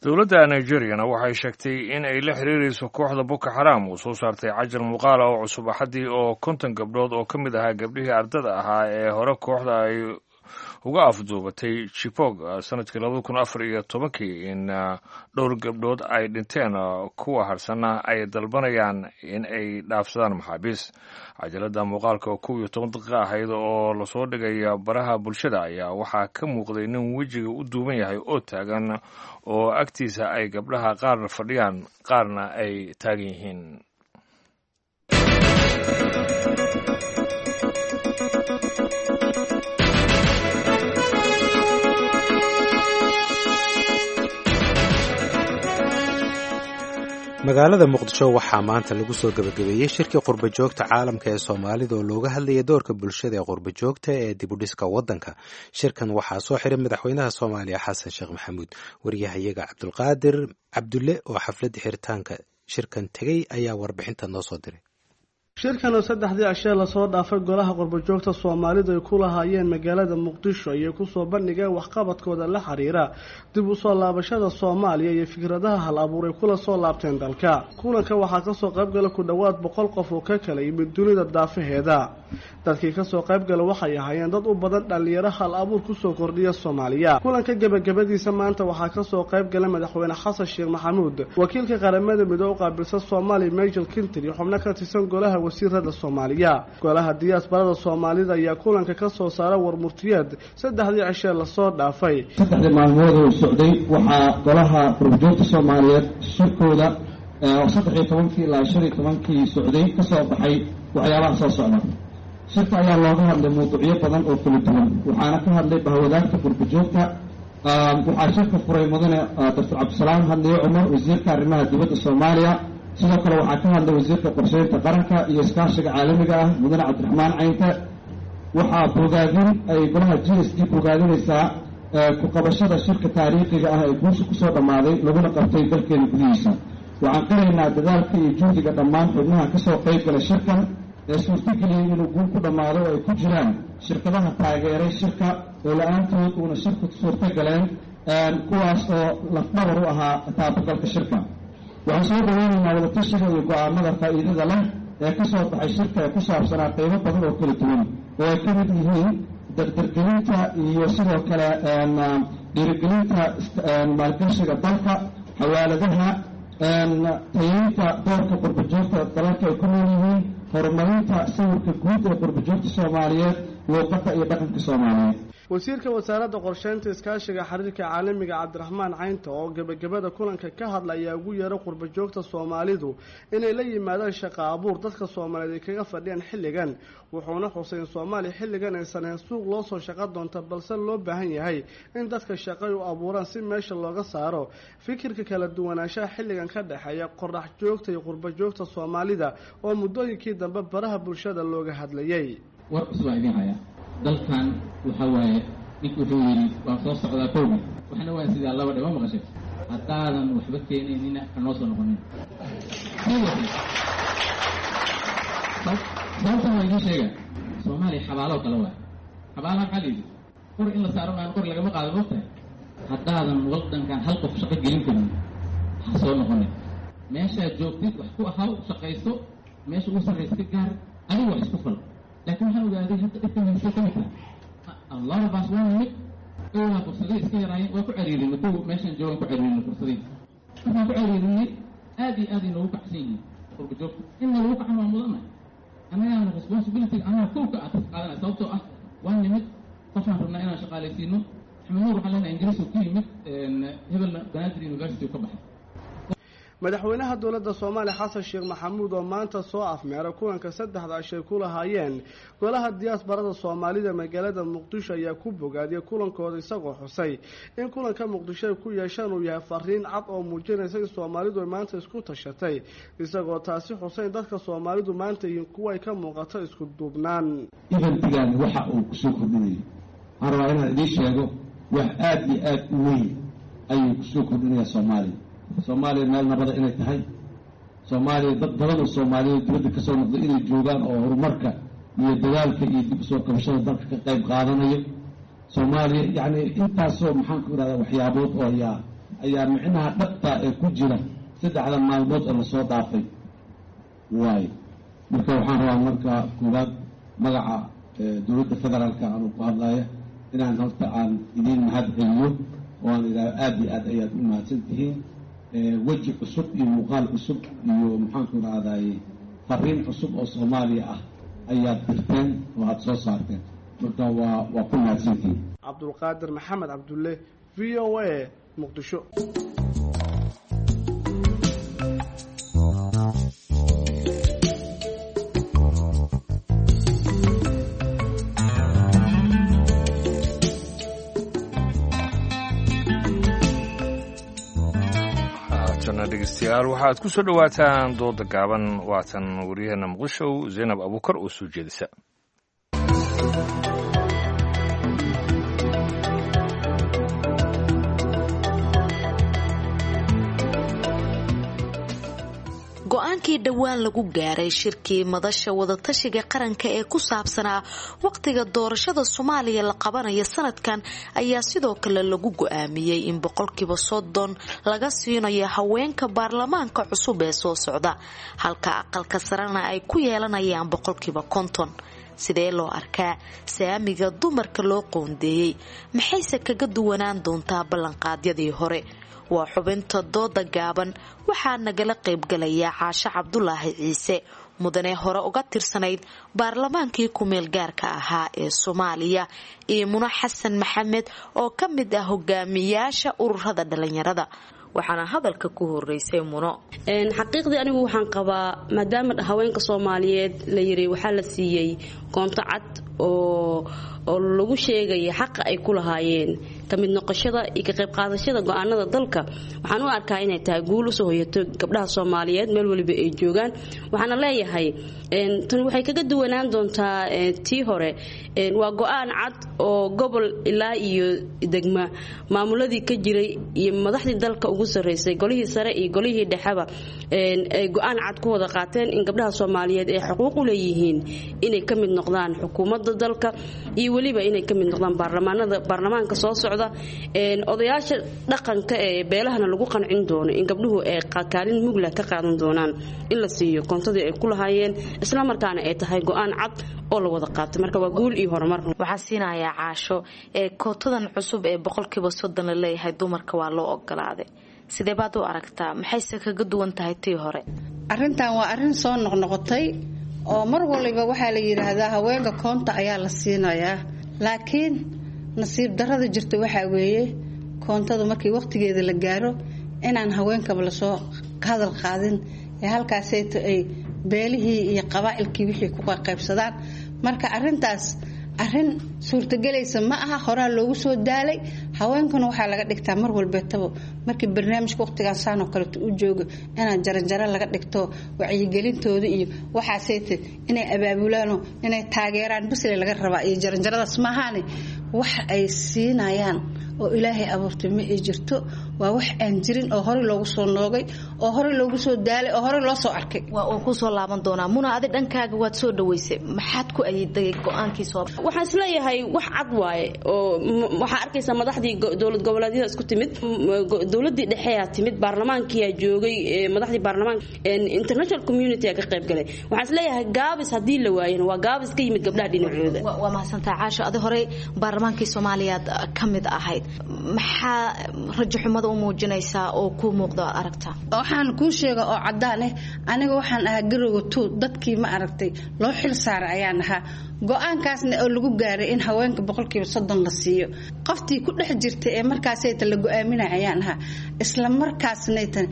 Dowladda Nigeriyana waxay sheegtay in ay la xiriirayso kooxda Boko Xaram uu soo saartay cajal muuqaala oo cusub Axaddii oo 50 gabdhood oo ka mid ahaa gabdhihii ardada ahaa ee hore kooxda ay uga afduubatay Chibok sanadkii 2014-kii, in dhowr gabdhood ay dhinteen, kuwa harsanna ay dalbanayaan in ay dhaafsadaan maxaabiis. Cajalada muuqaalka oo 11 daqiiqa ahayd oo lasoo dhigaya baraha bulshada ayaa waxaa ka muuqday nin wejiga u duuban yahay oo taagan, oo agtiisa ay gabdhaha qaarna fadhiyaan qaarna ay taagan yihiin. Magaalada Muqdisho waxaa maanta lagu soo gebagabeeyey shirkii qurbajoogta caalamka ee Soomaalida oo looga hadlayay doorka bulshada ee qurbajoogta ee dibudhiska waddanka. Shirkan waxaa soo xiray madaxweynaha Soomaaliya Xasan Sheekh Maxamuud. Wariyahayaga Cabdulqaadir Cabdulle oo xafladda xiritaanka shirkan tegey ayaa warbixinta noo soo diray. Shirkan oo saddexdii cashee lasoo dhaafay golaha qurbajoogta Soomaalidu ay ku lahaayeen magaalada Muqdisho ayay kusoo bandhigeen waxqabadkooda la xiriira dib u soo laabashada Soomaaliya iyo fikradaha hal abuuray kula soo laabteen dalka. Kulanka waxaa kasoo qaybgala ku dhowaad 100 qof oo ka kala yimid dunida daafaheeda. Dadkii kasoo qaybgala waxay ahaayeen dad u badan dhallinyaro hal abuur kusoo kordhiya Soomaaliya. Kulanka gebagabadiisa maanta waxaa kasoo qaybgala madaxweyne Xasan Sheekh Maxamuud, wakiilka Qaramada Midoobe u qaabilsan Soomaaliya Michael Kinter iyo xubno ka tirsan golaha wasiirada Soomaaliya. Golaha diyaasbarada Soomaalida ayaa kulanka ka soo saara warmurtiyeed saddexdii cishee lasoo dhaafay. Saddexdii maalmood uu socday waxaa golaha qurbajoogta Soomaaliyeed shirkooda oo 13-kii ilaa 15-kii socday ka soo baxay waxyaabaha soo socda. Shirka ayaa looga hadlay mawduucyo badan oo kala duwan, waxaana ka hadlay bahwadaagta qurbajoogta. Waxaa shirka furay mudane Doctor Cabdisalaam Hadliye Cumar, wasiirka arrimaha dibadda Soomaaliya. Sidoo kale waxaa ka hadlay wasiirka qorsheynta qaranka iyo iskaashiga caalamiga ah mudane Cabdiraxmaan Caynte. Waxaa bogaadin ay golaha GSD bogaadinaysaa ku qabashada shirka taariikhiga ah ee guusha kusoo dhammaaday laguna qabtay dalkeena gudihiisa. Waxaan qiraynaa dadaalka iyo juhdiga dhammaan xubnaha kasoo qayb gala shirkan ee suurtageliyey inuu guul ku dhammaado oo ay ku jiraan shirkadaha taageeray shirka oo la-aantood uuna shirku suurto galeen, kuwaas oo lafdhabar u ahaa taabagalka shirka. Waxaan soo dhaweynaynaa wadatashiga iyo go-aamada faa'iidada leh ee ka soo baxay shirka ee ku saabsanaa qaybo badan oo kala duwan oo ay ka mid yihiin dardargelinta iyo sidoo kale dhiirigelinta maalgashiga dalka, xawaaladaha, tayeynta doorka qurbajoogta dalalka ay ku nool yihiin, horumarinta sawirka guud ee qurbajoogta Soomaaliyeed, luuqadda iyo dhaqanka Soomaaliyeed. Wasiirka wasaaradda qorsheynta iskaashiga xiriirka caalamiga Cabdiraxmaan Caynta oo gebagabada kulanka ka hadla ayaa ugu yeeray qurbajoogta Soomaalidu inay la yimaadaan shaqo abuur dadka Soomaaliyeed ay kaga fadhiyaan xilligan. Wuxuuna xusay in Soomaaliya xilligan aysan ahayn suuq loo soo shaqo doonta, balse loo baahan yahay in dadka shaqay u abuuraan si meesha looga saaro fikirka kala duwanaanshaha xilligan ka dhexeeya qorax joogta iyo qurbajoogta Soomaalida oo muddooyinkii dambe baraha bulshada looga hadlayay. War cusub aan idiin hayaa. Dalkan waxaa waaye ninku wuxuu yidhi waan soo socdaa kowgi, waxna waan sidaa laba dhima maqashay. Haddaadan waxba keenaynina ha noo soo noqonin. Sababtan waa idiin sheega, Soomaaliya xabaaloo kale waay. Xabaalaha maxaa la yidhi? Qor in la saaro maan qor lagama qaado, moogtahay. Haddaadan waddankan hal qof shaqo gelin karin ha soo noqonin. Meeshaad joogtid wax ku ahaw, shaqayso, meesha ugu sarraysa ka gaar. Adiga wax isku fal. Laakiin waxaan ogaaday hadda dhibkan haysta ka mid tahay allarabaas waa nimid owaa fursaday iska yaraayeen, waa ku cariirinay kuwa meeshan joogan, ku cariirinay fursadii. Markaan ku cariirinay aad iyo aad ay noogu kacsan yihiin qurba joogta. In lagu kacan waa mudanahay, annagaana responsibility annaga kow ka ah qaadanaya, sababtoo ah waa nimid qofaan rabnaa inaan shaqaalaysiino. Axmed Nuur waxaan leenahay Ingiriis uu ku yimid, hebelna Banaadir University uu ka baxay. Madaxweynaha dowladda Soomaaliya Xasan Sheekh Maxamuud oo maanta soo afmeeray kulanka saddexda ashay ku lahaayeen golaha diyaasbarada Soomaalida magaalada Muqdisho ayaa ku bogaadiyay kulankooda, isagoo xusay in kulanka Muqdisho ay ku yeeshaan uu yahay fariin cad oo muujinaysa in Soomaalidu ay maanta isku tashatay, isagoo taasi xusay in dadka Soomaalidu maanta yihiin kuwa ay ka muuqato isku duubnaan. Eventigan waxa uu kusoo kordhinayay waxaan rabaa inaan idiin sheego, wax aada iyo aada u weyn ayuu kusoo kordhinayaa Soomaaliya. Soomaaliya meel nabada inay tahay, Soomaaliya dad badan oo Soomaaliyeed dibadda kasoo noqday inay joogaan oo horumarka iyo dadaalka iyo dib usoo kabashada dalka ka qayb qaadanayo. Soomaaliya yacni intaasoo maxaan ku idhahdaa waxyaabood oo ayaa micnaha dhabta ee ku jira saddexda maalmood oo lasoo dhaafay waayo. Marka waxaan rabaa marka koowaad magaca dowladda federaalka anuu ku hadlaya inaan horta aan idiin mahad celiyo oo aan idhaahdo aada iyo aad ayaad u mahadsan tihiin. Weji cusub iyo muuqaal cusub iyo maxaanku idhahdaye fariin cusub oo Soomaaliya ah ayaad dirteen oo aada soo saarteen, marka waa ku mahadsantihiin. Cabdulqaadir Maxamed Cabdulle, VOA, Muqdisho. Dhegeystayaal, waxaad ku soo dhowaataan dooda gaaban. Waatan waryaheena Muqdisho Zaynab Abuukar oo soo jeedisa. Go-aankii dhowaan lagu gaaray shirkii madasha wadatashiga qaranka ee ku saabsanaa waqtiga doorashada Soomaaliya la qabanayo sanadkan ayaa sidoo kale lagu go-aamiyey in 30% laga siinayo haweenka baarlamaanka cusub ee soo socda, halka aqalka sarena ay ku yeelanayaan 50%. Sidee loo arkaa saamiga dumarka loo qoondeeyey? Maxayse kaga duwanaan doontaa ballanqaadyadii hore? Waa xubinta dooda gaaban. Waxaa nagala qaybgalaya Caasho Cabdulaahi Ciise, mudane hore uga tirsanayd baarlamaankii ku-meel gaarka ahaa ee Soomaaliya, iyo Muno Xasan Maxamed oo ka mid ah hogaamiyaasha ururada dhalinyarada. Waxaana hadalka ku horeysay Muno. Xaqiiqdii anigu waxaan qabaa maadaama haweenka Soomaaliyeed la yiri waxaa la siiyey koonto cad oo lagu sheegaya xaqa ay ku lahaayeen ka mid noqoshada iyo ka qayb qaadashada go'aanada dalka, waxaan u arkaa inay tahay guul usoo hoyato gabdhaha Soomaaliyeed meel waliba ay joogaan. Waxaana leeyahay tan waxay kaga duwanaan doontaa tii hore. Waa go'aan cad oo gobol ilaa iyo degma maamuladii ka jiray iyo madaxdii dalka ugu sarreysay, golihii sare iyo golihii dhexeba, ay go'aan cad ku wada qaateen in gabdhaha Soomaaliyeed ay xuquuq u leeyihiin inay ka mid noqdaan xukuumadda dalka iyo weliba inay ka mid noqdaan baarlamaanada, baarlamaanka soo socda. Odayaasha dhaqanka ee beelahana lagu qancin doono in gabdhuhu ay kaalin muglah ka qaadan doonaan in la siiyo koontadii ay ku lahaayeen, isla markaana ay tahay go'aan cad oo la wada qaatay. Marka waa guul iyo horumar. Waxaa siinayaa Caasho ee kootadan cusub ee 30% la leeyahay dumarka waa loo ogolaaday, sidee baad u aragtaa? Maxayse kaga duwan tahay tii hore? Arrintan waa arrin soo noqnoqotay oo mar waliba waxaa la yidhaahdaa haweenka koonta ayaa la siinayaa, laakiin nasiib darada jirta waxaa weeye koontada markii waqtigeeda la gaaro inaan haweenkaba lasoo hadal qaadin ee halkaasayto ay beelihii iyo qabaa'ilkii wixii ku qaybsadaan. Marka arrintaas arrin suurtagelaysa ma aha, horaa loogu soo daalay. Haweenkuna waxaa laga dhigtaa mar walbeetaba markii barnaamijka waqtigaan saan oo kaleeto u joogo inaan jaranjaro laga dhigto wacyigelintooda iyo waxaasayte inay abaabulaanoo inay taageeraan bisle laga rabaa iyo jaranjaradaas maahaane wax ay siinayaan oo Ilaahay abuurtay ma ay jirto. Waa wax aan jirin oo horey loogu soo noogay oo horey loogu soo daalay oo horey loo soo arkay. Waa uu kusoo laaban doonaa. Muna, adi dhankaaga waad soo dhaweysay, maxaad ku ayiday go-aankii soo? Waxaan isleeyahay wax cad waaye oo waxaa arkaysaa madaxdii Madaxdii dowlad goboleedyada isku timid, dowladii dhexeyaa timid, baarlamaankiyaa joogay, madaxdii baarlamaanka, international community aa ka qayb galay. Waxaan isleeyahay gaabis haddii la waayana waa gaabis ka yimid gabdhaha dhinacooda. Waa mahadsantaha Caasho. Adi horey baarlamaankii Soomaaliyaad ka mid ahayd, maxaa rajo xumada u muujinaysaa oo kuu muuqda aad aragtaa? Waxaan kuu sheega oo caddaan ah, aniga waxaan ahaa garowga tuu dadkii ma aragtay loo xil saaray ayaan ahaa. Go-aankaasna oo lagu gaaray in haweenka 30% la siiyo, qoftii ku dhex jirtay ee markaasayta la go-aaminay ayaan ahaa. Isla markaasnaytan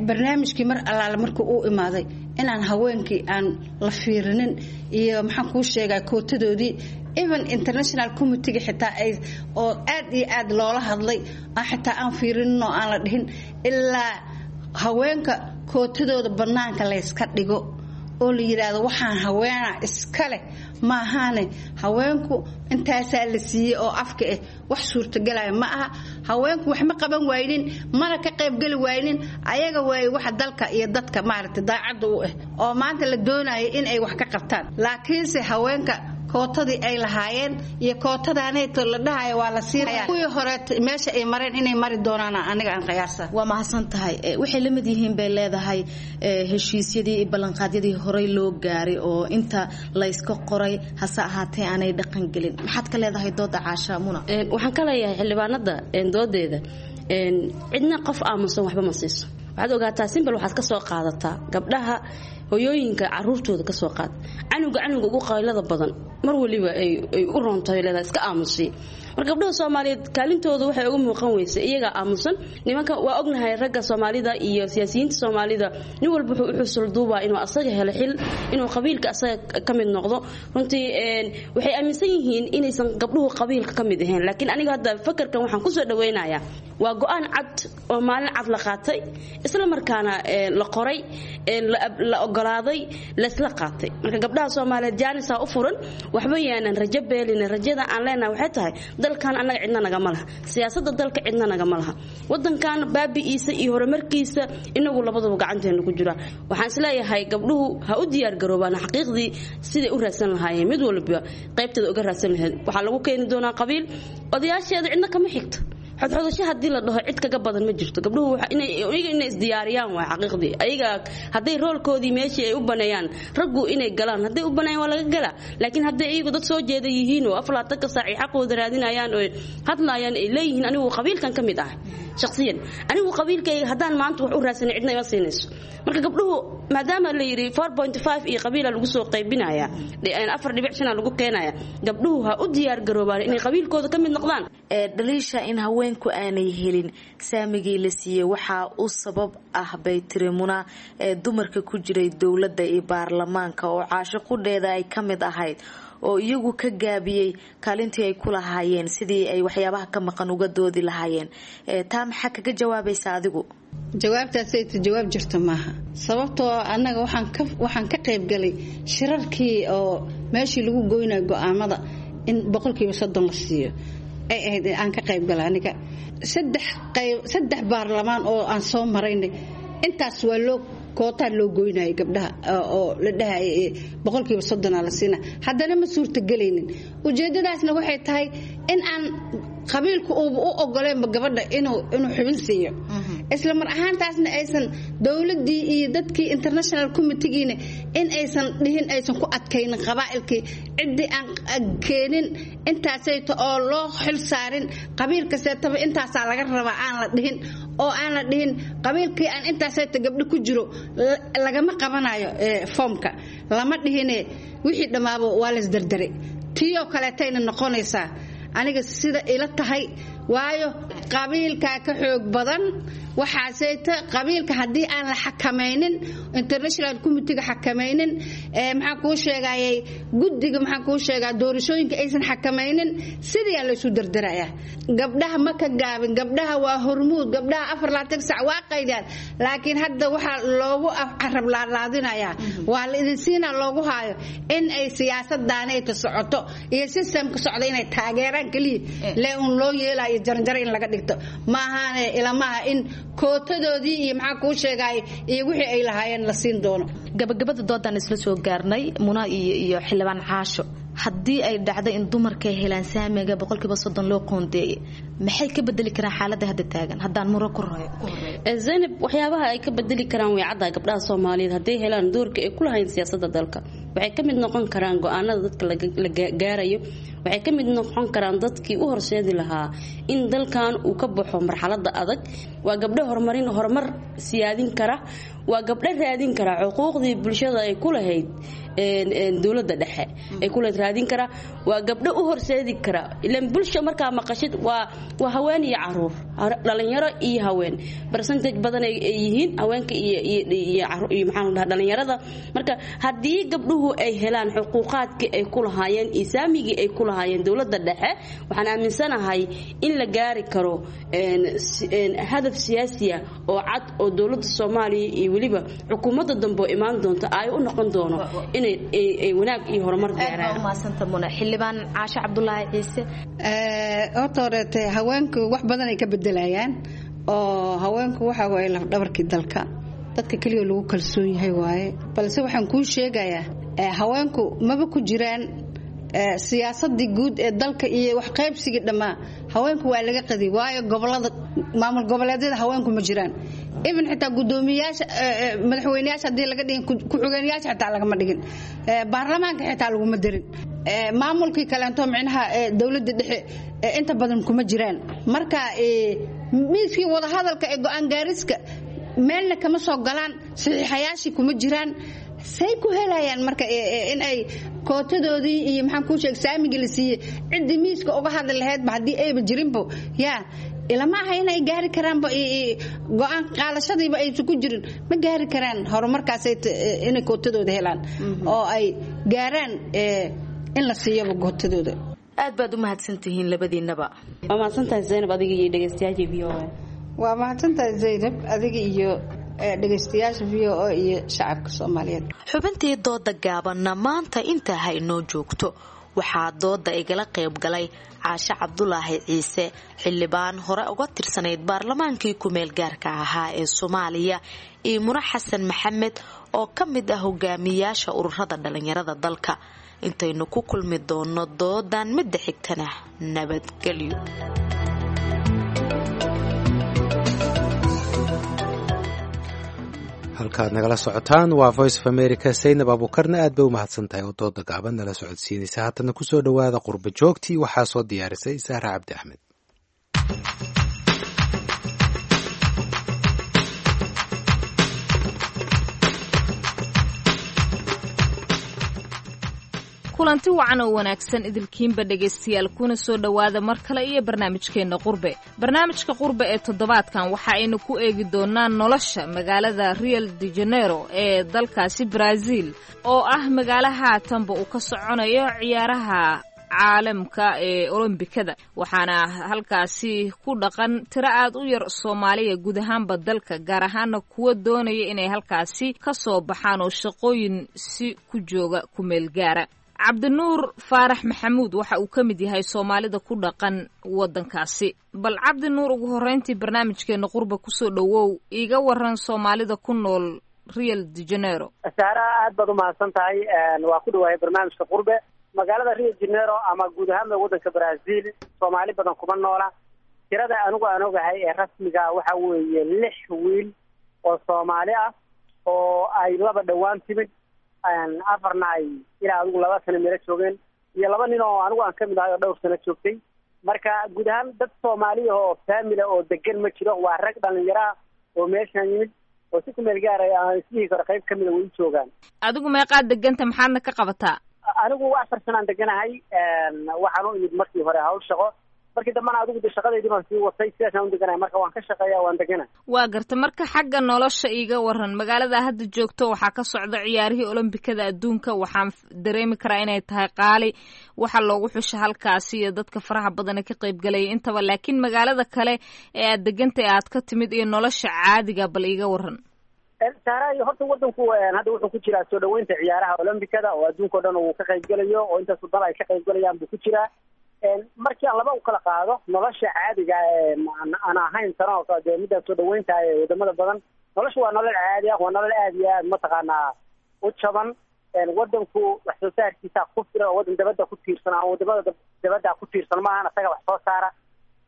barnaamijkii mar allaale markuu uu imaaday inaan haweenkii aan la fiirinin iyo maxaan kuu sheegaa kootadoodii, even international committeega xitaa ay oo aad iyo aad loola hadlay aan xitaa aan fiirinin oo aan la dhihin ilaa haweenka kootadooda bannaanka layska dhigo oo la yidhaahdo waxaan haweena iska leh maahaane haweenku intaasaa la siiyey oo afka ah wax suurtagelaya ma aha. Haweenku wax ma qaban waynin, mana ka qaybgeli waynin. Ayaga waaye waxa dalka iyo dadka maaragtay daacadda u ah oo maanta la doonaya in ay wax ka qabtaan. Laakiinse haweenka kootadii ay lahaayeen iyo kootadaanayto la dhahayo waa la siinaya, kuwii hore meesha ay mareen inay mari doonaan aniga aan qiyaasa. Waa mahadsan tahay. Waxay la mid yihiin bay leedahay heshiisyadii iyo ballanqaadyadii horey loo gaaray oo inta layska qoray hase ahaatee aanay dhaqan gelin. Maxaad ka leedahay dooda Caasha Muna? Waxaan ka leeyahay xildhibaanada doodeeda, cidna qof aamusan waxba ma siiso. Waxaad ogaataa simbal, waxaad ka soo qaadataa gabdhaha hoyooyinka caruurtooda ka soo qaad, canuga canuga ugu qaylada badan mar waliba ay u roontahay leedahay iska aamusiy. Marka gabdhaha Soomaaliyeed kaalintooda waxay uga muuqan weysay iyagaa aamusan. Nimanka waa ognahay, ragga Soomaalida iyo siyaasiyiinta Soomaalida nin walba wuxuu u xusul duubaa inuu asaga helo xil, inuu qabiilka asaga ka mid noqdo. Runtii waxay aaminsan yihiin inaysan gabdhuhu qabiilka ka mid ahayn, laakiin aniga hadda fakarkan waxaan kusoo dhaweynayaa waa go-aan cad oo maalin cad la qaatay, isla markaana la qoray, la ogolaaday, laysla qaatay. Marka gabdhaha Soomaaliyeed jaanisaa u furan, waxba yaanan rajo beelina. Rajada aan leenahay waxay tahay dalkan annaga cidna nagama laha, siyaasadda dalka cidna nagama laha, wadankan baabi'iisa iyo horumarkiisa inagu labaduba gacanteena ku jira. Waxaan isleeyahay gabdhuhu ha u diyaar garoobaan xaqiiqdii siday u raadsan lahaayeen, mid walba qaybteeda uga raadsan lahayd. Waxaa lagu keeni doonaa qabiil, odayaasheeda cidna kama xigto, xodxodasho haddii la dhaho cid kaga badan ma jirto. Gabdhuhu iyaga inay isdiyaariyaan waa xaqiiqdii, ayaga hadday roolkoodii meeshii ay u baneeyaan raggu inay galaan, hadday u baneeyaan waa laga galaa. Laakiin hadday iyagu dad soo jeeda yihiin oo 24-ka saac ay xaqooda raadinayaan oo hadlaayaan ay leeyihiin anigu qabiilkan ka mid ah shaqsiyan, anigu qabiilkayga haddaan maanta wax u raadsanay cidna ima siinayso. Marka gabdhuhu maadaama la yidhi 4.5 iyo qabiila lagu soo qaybinaya, 4.5 lagu keenaya, gabdhuhu ha u diyaar garoobaan inay qabiilkooda ka mid noqdaan. Dhaliisha in haweenku aanay helin saamigii la siiyey waxaa u sabab ah bay tiri Muna ee dumarka ku jiray dowladda iyo baarlamaanka oo Caasho qudheeda ay ka mid ahayd oo iyagu ka gaabiyey kaalintii ay ku lahaayeen sidii ay waxyaabaha ka maqan uga doodi lahaayeen. Taa maxaa kaga jawaabaysa adigu? Jawaabtaasayta jawaab jirta maaha, sababtoo annaga waxaan ka qaybgalay shirarkii oo meeshii lagu goynayo go-aamada in 30% la siiyo ay ahayd aan ka qaybgala aniga. Saddex qayb, saddex baarlamaan oo aan soo maraynay intaas waa loo kootaa loo goynayay gabdhaha oo la dhahayay 30% la siina, haddana ma suurtagelaynin. Ujeedadaasna waxay tahay in aan qabiilku uuba u ogoleenba gabadha inuu xubin siiyo, isla mar ahaantaasna aysan dowladdii iyo dadkii international committeegiina in aysan dhihin, aysan ku adkaynin qabaa'ilkii ciddii aan keenin intaasayta oo loo xil saarin qabiil kasteetaba intaasaa laga rabaa aan la dhihin, oo aan la dhihin qabiilkii aan intaasayta gabdho ku jiro lagama qabanayo foomka lama dhihine, wixii dhammaaba waa laysdardaray. Tiiyoo kaleetayna noqonaysaa aniga sida ila tahay, waayo qabiilkaa ka xoog badan waxaaseyta. Qabiilka haddii aan la xakamaynin, international committeega xakamaynin, maxaan kuu sheegayay guddiga, maxaan kuu sheegaa doorashooyinka aysan xakamaynin, sidaa laysu dardarayaa. Gabdhaha ma ka gaabin, gabdhaha waa hormuud, gabdhaha 24 sac waa qaydaan, laakiin hadda waxaa loogu carab laalaadinayaa waa la idin siinaa loogu haayo in ay siyaasaddaanayta socoto iyo sistamka socda inay taageeraan keliya lee uun loo yeelayo jaranjaro in laga dhigto maahaane ilamaha in kootadoodii iyo maxaa kuu sheegay iyo wixii ay lahaayeen la siin doono. Gabagabada doodaan isla soo gaarnay, Muna iyo xildhibaan Caasho, Haddii ay dhacdo in dumarka ay helaan saamiga 30% loo qoondeeyay, maxay ka bedeli karaan xaaladda hadda taagan? Haddaan muro ku horeeyo. Zaynab, waxyaabaha ay ka bedeli karaan way caddaa. Gabdhaha Soomaaliyeed hadday helaan doorka ay ku lahayn siyaasadda dalka, waxay ka mid noqon karaan go-aanada dadka la gaarayo, waxay ka mid noqon karaan dadkii u horseedi lahaa in dalkan uu ka baxo marxaladda adag. Waa gabdho horumarin, horumar siyaadin kara, waa gabdho raadin kara xuquuqdii bulshada ay ku lahayd dowladda dhexe ay ku lahayd raadin kara, waa gabdho u horseedi kara. Ilaan bulsha markaa maqashid waa haween iyo caruur, dhalinyaro iyo haween, percentage badan ay yihiin haweenka iyo maxaan dhahaa dhalinyarada. Marka haddii gabdhuhu ay helaan xuquuqaadkii ay ku lahaayeen iyo saamigii ay ku lahaayeen dowladda dhexe, waxaan aaminsanahay in la gaari karo hadaf siyaasiya oo cad oo dowladda Soomaaliya iyo weliba xukuumadda dambe oo imaan doonta ay u noqon doono inay ay wanaag iyo horumar gaaraan. Xildhibaan Caashe Cabdulaahi Ciise. Horta horeete, haweenku wax badan ay ka bedelayaan, oo haweenku waxa waaye lafdhabarkii dalka, dadka keliya lagu kalsoon yahay waaye. Balse waxaan kuu sheegayaa, haweenku maba ku jiraan siyaasadii guud ee dalka iyo wax qaybsigii dhammaa. Haweenku waa laga qadi, waayo gobolada, maamul goboleedyada haweenku ma jiraan, even xitaa gudoomiyaasha, madaxweyneyaasha haddii laga dhigin, ku-xigeenyaasha xitaa lagama dhigin, baarlamaanka xitaa laguma darin, maamulkii kaleento micnaha dowladda dhexe inta badan kuma jiraan. Marka miiskii wadahadalka ee go-aan gaariska meelna kama soo galaan, saxiixayaashii kuma jiraan. Say ku helayaan marka in ay kootadoodii iyo maxaan kuu sheeg saamigii la siiyey ciddii miiska uga hadli lahaydba haddii ayba jirinbo, yaa ilama aha inay gaari karaanba go-aan qaadashadiiba aysan ku jirin. Ma gaari karaan horumarkaas inay kootadooda helaan oo ay gaaraan in la siiyaba kootadooda. Aad baad u mahadsantihiin labadiinaba. Waa mahadsantahay Zaynab, adiga iyo dhegeystayaasha VOA. Waa mahadsantahay Zaynab, adiga iyo dhegeystayaasha VOA iyo shacabka Soomaaliyeed. Xubintii dooda gaabanna maanta intaa ha inoo joogto. Waxaa dooda igala qayb galay Caashe Cabdulaahi Ciise, xildhibaan hore uga tirsanayd baarlamaankii kumeel gaarka ahaa ee Soomaaliya, iyo Mune Xasan Maxamed oo ka mid ah hogaamiyaasha ururada dhalinyarada dalka. Intaynu ku kulmi doono doodan midda xigtana, nabadgelyo. Halkaad nagala socotaan waa Voice of America. Saynab Abuukarna aad bay u mahadsan tahay oo dooda gaaban nala socodsiinaysa. Haatana kusoo dhowaada Qurba Joogtii, waxaa soo diyaarisay Sahra Cabdi Axmed. Kulanti wacan oo wanaagsan idilkiinba dhegaystayaal, kuna soo dhowaada mar kale iyo barnaamijkeenna qurbe. Barnaamijka qurbe ee toddobaadkan waxa aynu ku eegi doonaa nolosha magaalada Rio de Janeiro ee dalkaasi Brazil, oo ah magaalo haatanba uu ka soconayo ciyaaraha caalamka ee olombikada, waxaana halkaasi ku dhaqan tiro aad u yar Soomaaliya guud ahaanba dalka, gaar ahaana kuwa doonaya inay halkaasi ka soo baxaan oo shaqooyin si ku jooga ku meel gaara. Cabdinuur Faarax Maxamuud waxa uu ka mid yahay Soomaalida ku dhaqan waddankaasi. Bal Cabdinuur, ugu horreyntii barnaamijkeena qurba kusoo dhowow, iiga waran Soomaalida ku nool Rio de Janeiro. Saara, aad baad umahadsan tahay. Waa ku dhawaayay barnaamijka qurbe. Magaalada Rio de Janeiro ama guud ahaanba waddanka Brazil Soomaali badan kuma noola. Tirada anigu aan ogahay ee rasmiga waxa weeye 6 wiil oo Soomaali ah oo ay 2 dhowaan timid, 4na ay ilaa adigu 2 sano meelo joogeen, iyo 2 nin oo anigu aan kamid ahay oo dhowr sano joogtay. Marka guud ahaan dad Soomaaliya oo faamila oo degan ma jiro. Waa rag dhalinyaraa oo meeshan yimid oo si ku meel gaaray aan isdhihi karo qayb kamida way u joogaan. Adigu meeqaad deganta, maxaadna ka qabataa? Anigu 4 sanaan deganahay. Waxaan u imid markii hore hawl shaqo, markii dambana adigu de shaqadeydii baan sii watay, sidaasaan u deganahay. Marka waan ka shaqeeya, waan deganahay. Waa garta. Marka xagga nolosha iiga waran, magaalada hadda joogto waxaa ka socda ciyaarihii olombikada adduunka. Waxaan dareemi karaa inay tahay qaali waxa loogu xusha halkaasi iyo dadka faraha badan ee ka qaybgalaya intaba, laakiin magaalada kale ee aad degantay aad ka timid iyo nolosha caadiga bal iiga waran. Saara, horta wadanku hadda wuxuu ku jiraa soo dhaweynta ciyaaraha olombikada oo adduunka o dhan uu ka qaybgalayo, oo intaas waddan ay ka qaybgalayaan buu ku jiraa. Markii aan laba u kala qaado nolosha caadiga aan ahayn tana oo kale dee middaa soo dhaweynta ee wadamada badan, nolosha waa nolol caadi ah, waa nolol aad iyo aad mataqaanaa u jaban. Wadanku wax soo saarkiisa ku filan oo wadan dabadda ku tiirsan ama wadamada dabadda ku tiirsan maahan, isaga wax soo saara.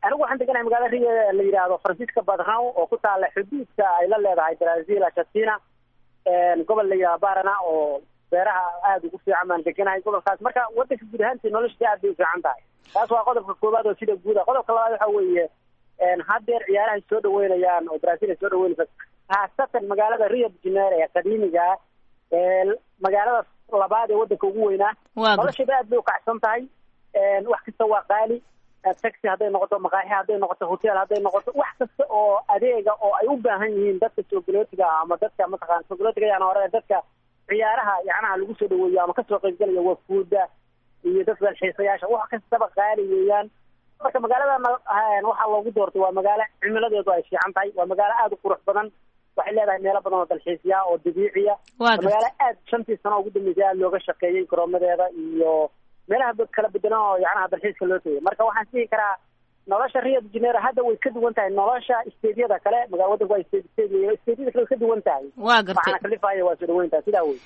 Anigu waxaan deganahay magaalada Rio la yidhaahdo Francisco Beltrão oo ku taala xuduudka ay la leedahay Brazil, Argentina, gobol la yidhahdo Paraná oo beeraha aada ugu fiican baan deganahay gobolkaas. Marka wadanka guud ahaantii noloshiisa aad bay u fiican tahay. Taas waa qodobka koowaad oo sida guud ah. Qodobka labaad waxa weeye, haddeer ciyaarahay soo dhaweynayaan oo Brazil ay soo dhaweynaysa, khaasatan magaalada Rio de Janeiro ee qadiimiga ah, ee magaalada labaad ee wadanka ugu weynaa, nolosheeda aad bay ukacsan tahay. Wax kasta waa qaali, taxi hadday noqoto, maqaaxi hadday noqoto, hotel hadday noqoto, wax kasta oo adeega oo ay u baahan yihiin dadka soogolootiga ama dadka mataqana soogolootiga yaan hore dadka ciyaaraha yacnaha lagu soo dhaweeyo ama kasoo qaybgalaya wafuuda iyo dadka dalxiisayaasha, wax kastaba qaali weeyaan. Marka magaalada waxaa loogu doortay waa magaalo cimiladeedu ay fiican tahay, waa magaalo aada u qurux badan, waxay leedahay meelo badan oo dalxiisya oo dabiiciya, waa magaalo aad 5-tii sano ugu dambeysay aada looga shaqeeyey garoomadeeda iyo meelaha kala bedelan oo yacnaha dalxiiska loo tegay. Marka waxaan dhihi karaa nolosha Rio de Janeiro hadda way ka duwan tahay nolosha isteedyada kale. Wadanku waa isteedyada kale way ka duwan tahay. Waa gartay. Waxaana kalifaya waa soo dhaweyntahay sidaa wey.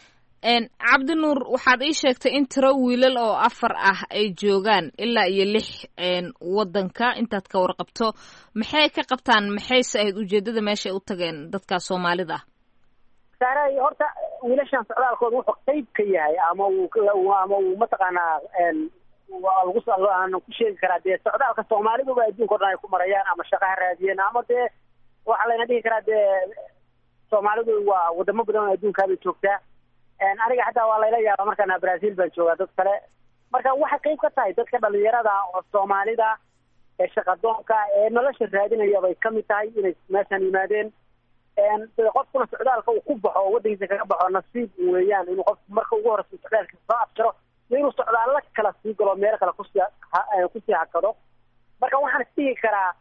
Cabdinuur, waxaad ii sheegtay in tiro wiilal oo 4 ah ay joogaan ilaa iyo 6 wadanka intaad ka warqabto. Maxay ka qabtaan, maxayse ahayd ujeedada meesha ay u tageen dadka Soomaalida ah? Saaray, horta wiilashan socdaalkooda wuxuu qayb ka yahay ama uu mataqaanaa lagu aan ku sheegi karaa dee socdaalka Soomaaliduba adduunka o dhan ay ku marayaan ama shaqaha raadiyeen ama dee waxaa layna dhihi karaa dee Soomaalidu waa wadamo badan oo adduunkaabay joogtaa. Aniga xataa waa layla yaaba markaan Brazil baan joogaa dad kale. Marka waxay qayb ka tahay dadka dhalinyarada oo Soomaalida ee shaqadoonka ee nolosha raadinaya bay kamid tahay inay meeshan yimaadeen. Qofkuna socdaalka uu ku baxo oo wadankiisa kaga baxo nasiib weeyaan inuu qofku marka ugu horeysa socdaalka soo afjaro iyo inuu socdaallo kala sii galo, meelo kale kusii hakado. Marka waxaan isdhihi karaa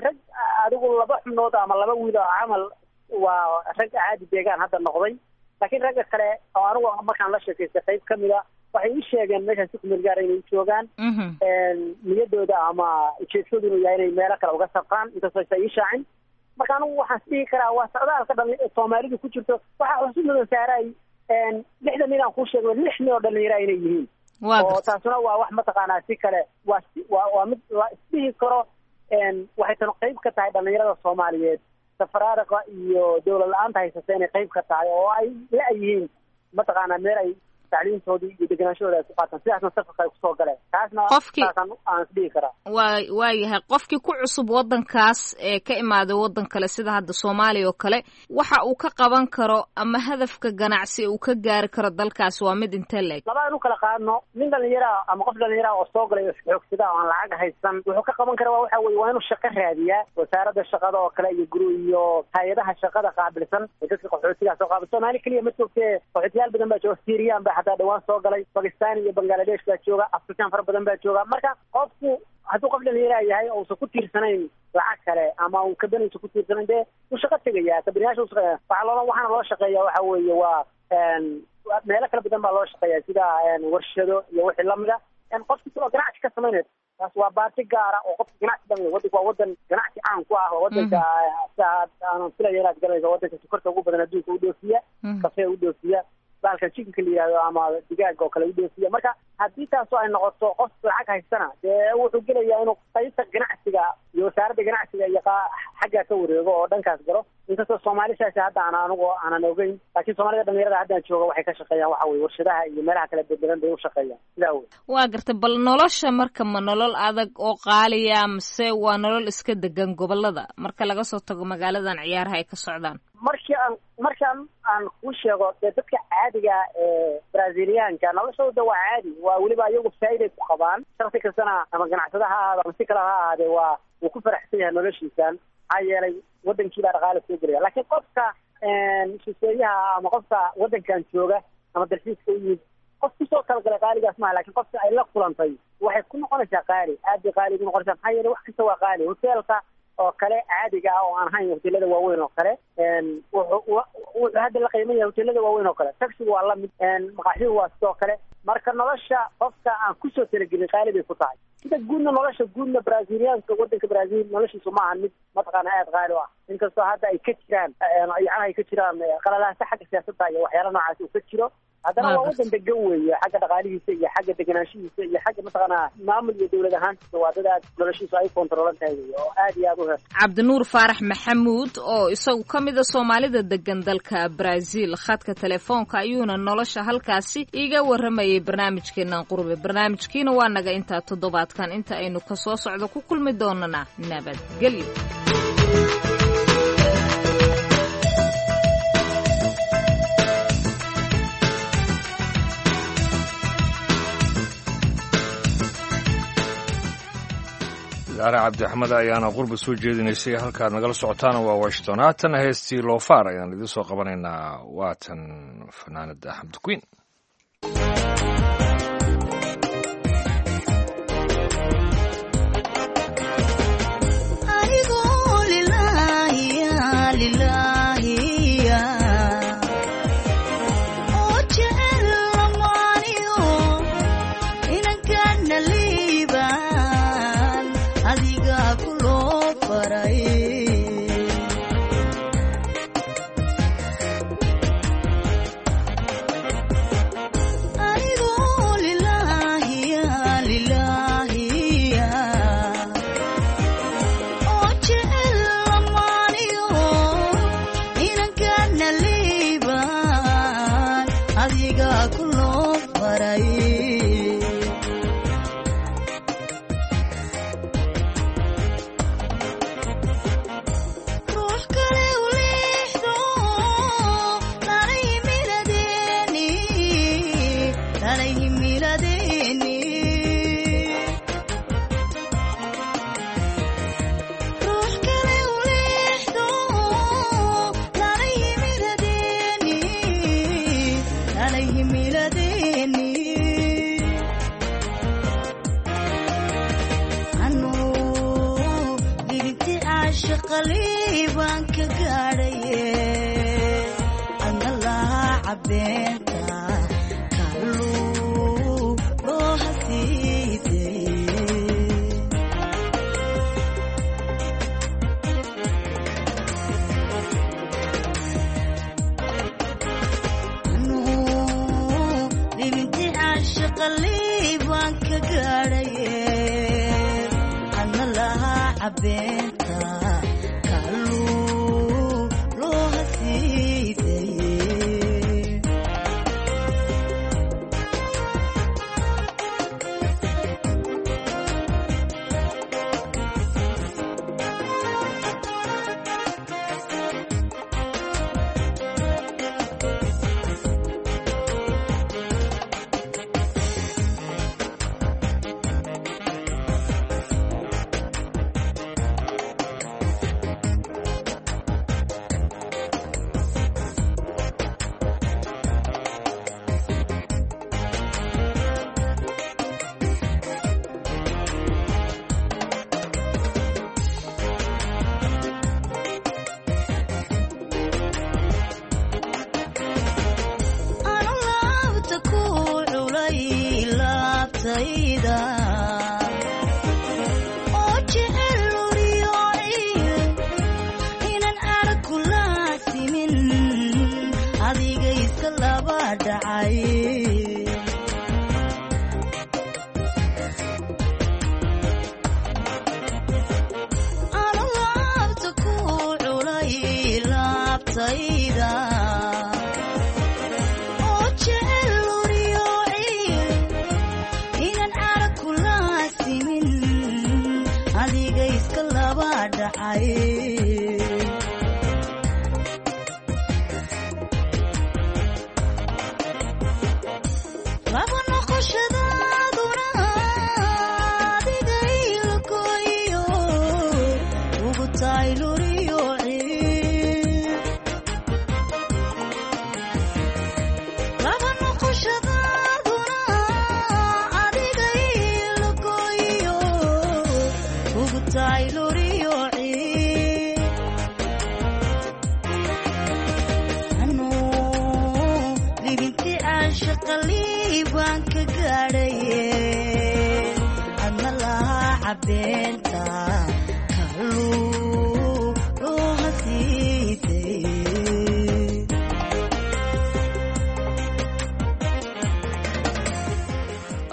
rag adigu 2 xubnood ama 2 wiil oo camal waa rag caadi deegaan hadda noqday, laakiin ragga kale oo anigu markaan la sheekaystay qayb kamid a waxay ii sheegeen meeshaan si kumeel gaara inay u joogaan, niyadooda ama ujeedkoodu inuu yahay inay meelo kale uga safraan, inkastoo aysan ii shaacin. Marka anigu waxaan isdhihi karaa waa socdaalka Soomaalidu ku jirto. Waxaa xusuus mudan saaray 6-da nin aan kuu sheegay 6 nin oo dhalinyara inay yihiin, oo taasuna waa wax mataqaanaa si kale waa mid la isdhihi karo. Waxay tan qayb ka tahay dhalinyarada Soomaaliyeed safaraariqa iyo dawlad la-aanta haysata inay qayb ka tahay oo ay la-yihiin mataqaanaa meel ay tacliintoodii iyo degenaanshahooda ay ku qaataan, sidaasna safarka ay kusoo galeen. Taasna taasaan aan isdhihi karaa. Waa yahay qofkii ku cusub wadankaas ee ka imaaday wadan kale sida hadda Soomaaliya oo kale, waxa uu ka qaban karo ama hadafka ganacsi uu ka gaari karo dalkaas waa mid intee leeg? Laba aan u kala qaadno, nin dhalinyaraa ama qof dhalinyaraa oo soo galay xoogsada oo aan lacag haysan wuxuu ka qaban kara waxa weye waa inuu shaqo raadiyaa. Wasaaradda shaqada oo kale iyo guru iyo hay-adaha shaqada qaabilsan ee dadka qaxootigaa soo qaabil. Soomaali keliya ma joogtee, qaxootiyaal badan baa jooga, Syrian baa xataa dhawaan soo galay, Pakistan iyo Bangladesh baa jooga, Afrikaan fara badan baa jooga. Marka qofku hadduu qof dhalinyaraa yahay oo uusan ku tiirsanayn lacag kale ama uu kabaniisa ku tiirsanayn, dee wuu shaqo tegayaa, kabaniyaasha u shaqeeya. Waxaana loo shaqeeya waxa weeye waa meelo kala badan baa loo shaqeeya sida warshado iyo wixii lamida. Qofki oo ganacsi ka samaynayo taas waa baati gaara oo qofka ganacsi dhamayo. Wadanku waa wadan ganacsi caan ku ah, waa wadanka aanan filaya inaad garanayso wadanka sokorta ugu badan adduunka u dhoofiya, kafee u dhoofiya, baalka chicken-ka la yihahdo ama digaaga oo kale u dhoofiya. Marka haddii taasoo ay noqoto qof lacag haystana dee wuxuu gelayaa inuu qaybta ganacsiga iyo wasaaradda ganacsiga iyo xaggaa ka wareego oo dhankaas galo. Inkastoo Soomaali saasi hadda aan anigu aanan ogeyn, laakiin Soomaalida dhalinyarada haddaan jooga waxay ka shaqeeyaan waxa weye warshadaha iyo meelaha kala bedelan bay u shaqeeyaan sidaa wey. Waa gartay. Bal nolosha marka ma nolol adag oo qaaliya mase waa nolol iska degan gobolada marka laga soo tago magaaladan ciyaaraha ay ka socdaan? Markaan aan kuu sheego dee dadka caadiga ee Braziliyaanka noloshooda waa caadi, waa weliba iyagu faa'iiday ku qabaan. Shaksi kastana ama ganacsada ha ahaado ama si kale ha ahaadee waa wuu ku faraxsan yahay noloshiisan, maxaa yeelay wadankii baa dhaqaale soo gelaya. Laakiin qofka shisheeyaha ama qofka wadankan jooga ama dalxiiska u yimid, qof kusoo talagalay qaaligaas maaha, laakiin qofka ay la kulantay waxay ku noqonaysaa qaali, aad bay qaali ugu noqonaysaa. Maxaa yeelay wax kasta waa qaali. Hoteelka oo kale caadiga ah oo aan ahayn hoteelada waaweyn oo kale wuxuu hadda la qiiman yahay hoteelada waaweyn oo kale. Taxigu waa lamid, maqaaxidu waa sidoo kale. Marka nolosha qofka aan kusoo talagelin qaali bay ku tahay. Sida guudna nolosha guudna Braziliyaanka wadanka Brazil noloshiisu ma ahan mid mataqaana aada qaali u ah, inkastoo hadda ay ka jiraan yacnaha ay ka jiraan qalalaasa xagga siyaasadda iyo waxyaala noocaas uu ka jiro. Haddana waa wadan degan weeye, xagga dhaqaalihiisa iyo xagga deganaanshihiisa iyo xagga mataqaanaa maamul iyo dowlad ahaantiisa waa dad aad noloshiisu ay kontroolan tahay wey oo aad iyo aad u her. Cabdinuur Faarax Maxamuud oo isagu ka mid a Soomaalida degan dalka Brazil, khadka telefoonka ayuuna nolosha halkaasi iiga warramayay barnaamijkeenan qurbe. Barnaamijkiina waa naga intaa toddobaadkan, inta aynu ka soo socdo ku kulmi doonana nabadgelyo. Daara Cabdixmed ayaana qurba soo jeedinaysay, halkaad nagala socotaana waa Washington. Haatan heestii Loofaar ayaan idiin soo qabanaynaa, waatan fanaanada Xamdi Queen.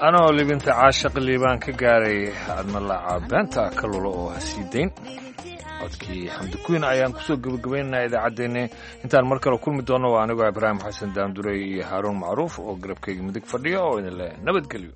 Anoo libinta caashaq liibaan ka gaaray, adna laaca beenta ka lulo oo ha sii dayn. Codkii Xamdi Kuyn ayaan kusoo gebagabaynaynaa idaacaddeenni. Intaan mar kale kulmi doonno, waa anigoo Ibraahim Xasan Daandurey iyo Haaruun Macruuf oo garabkayga midig fadhiya oo idin leh nabadgelyo.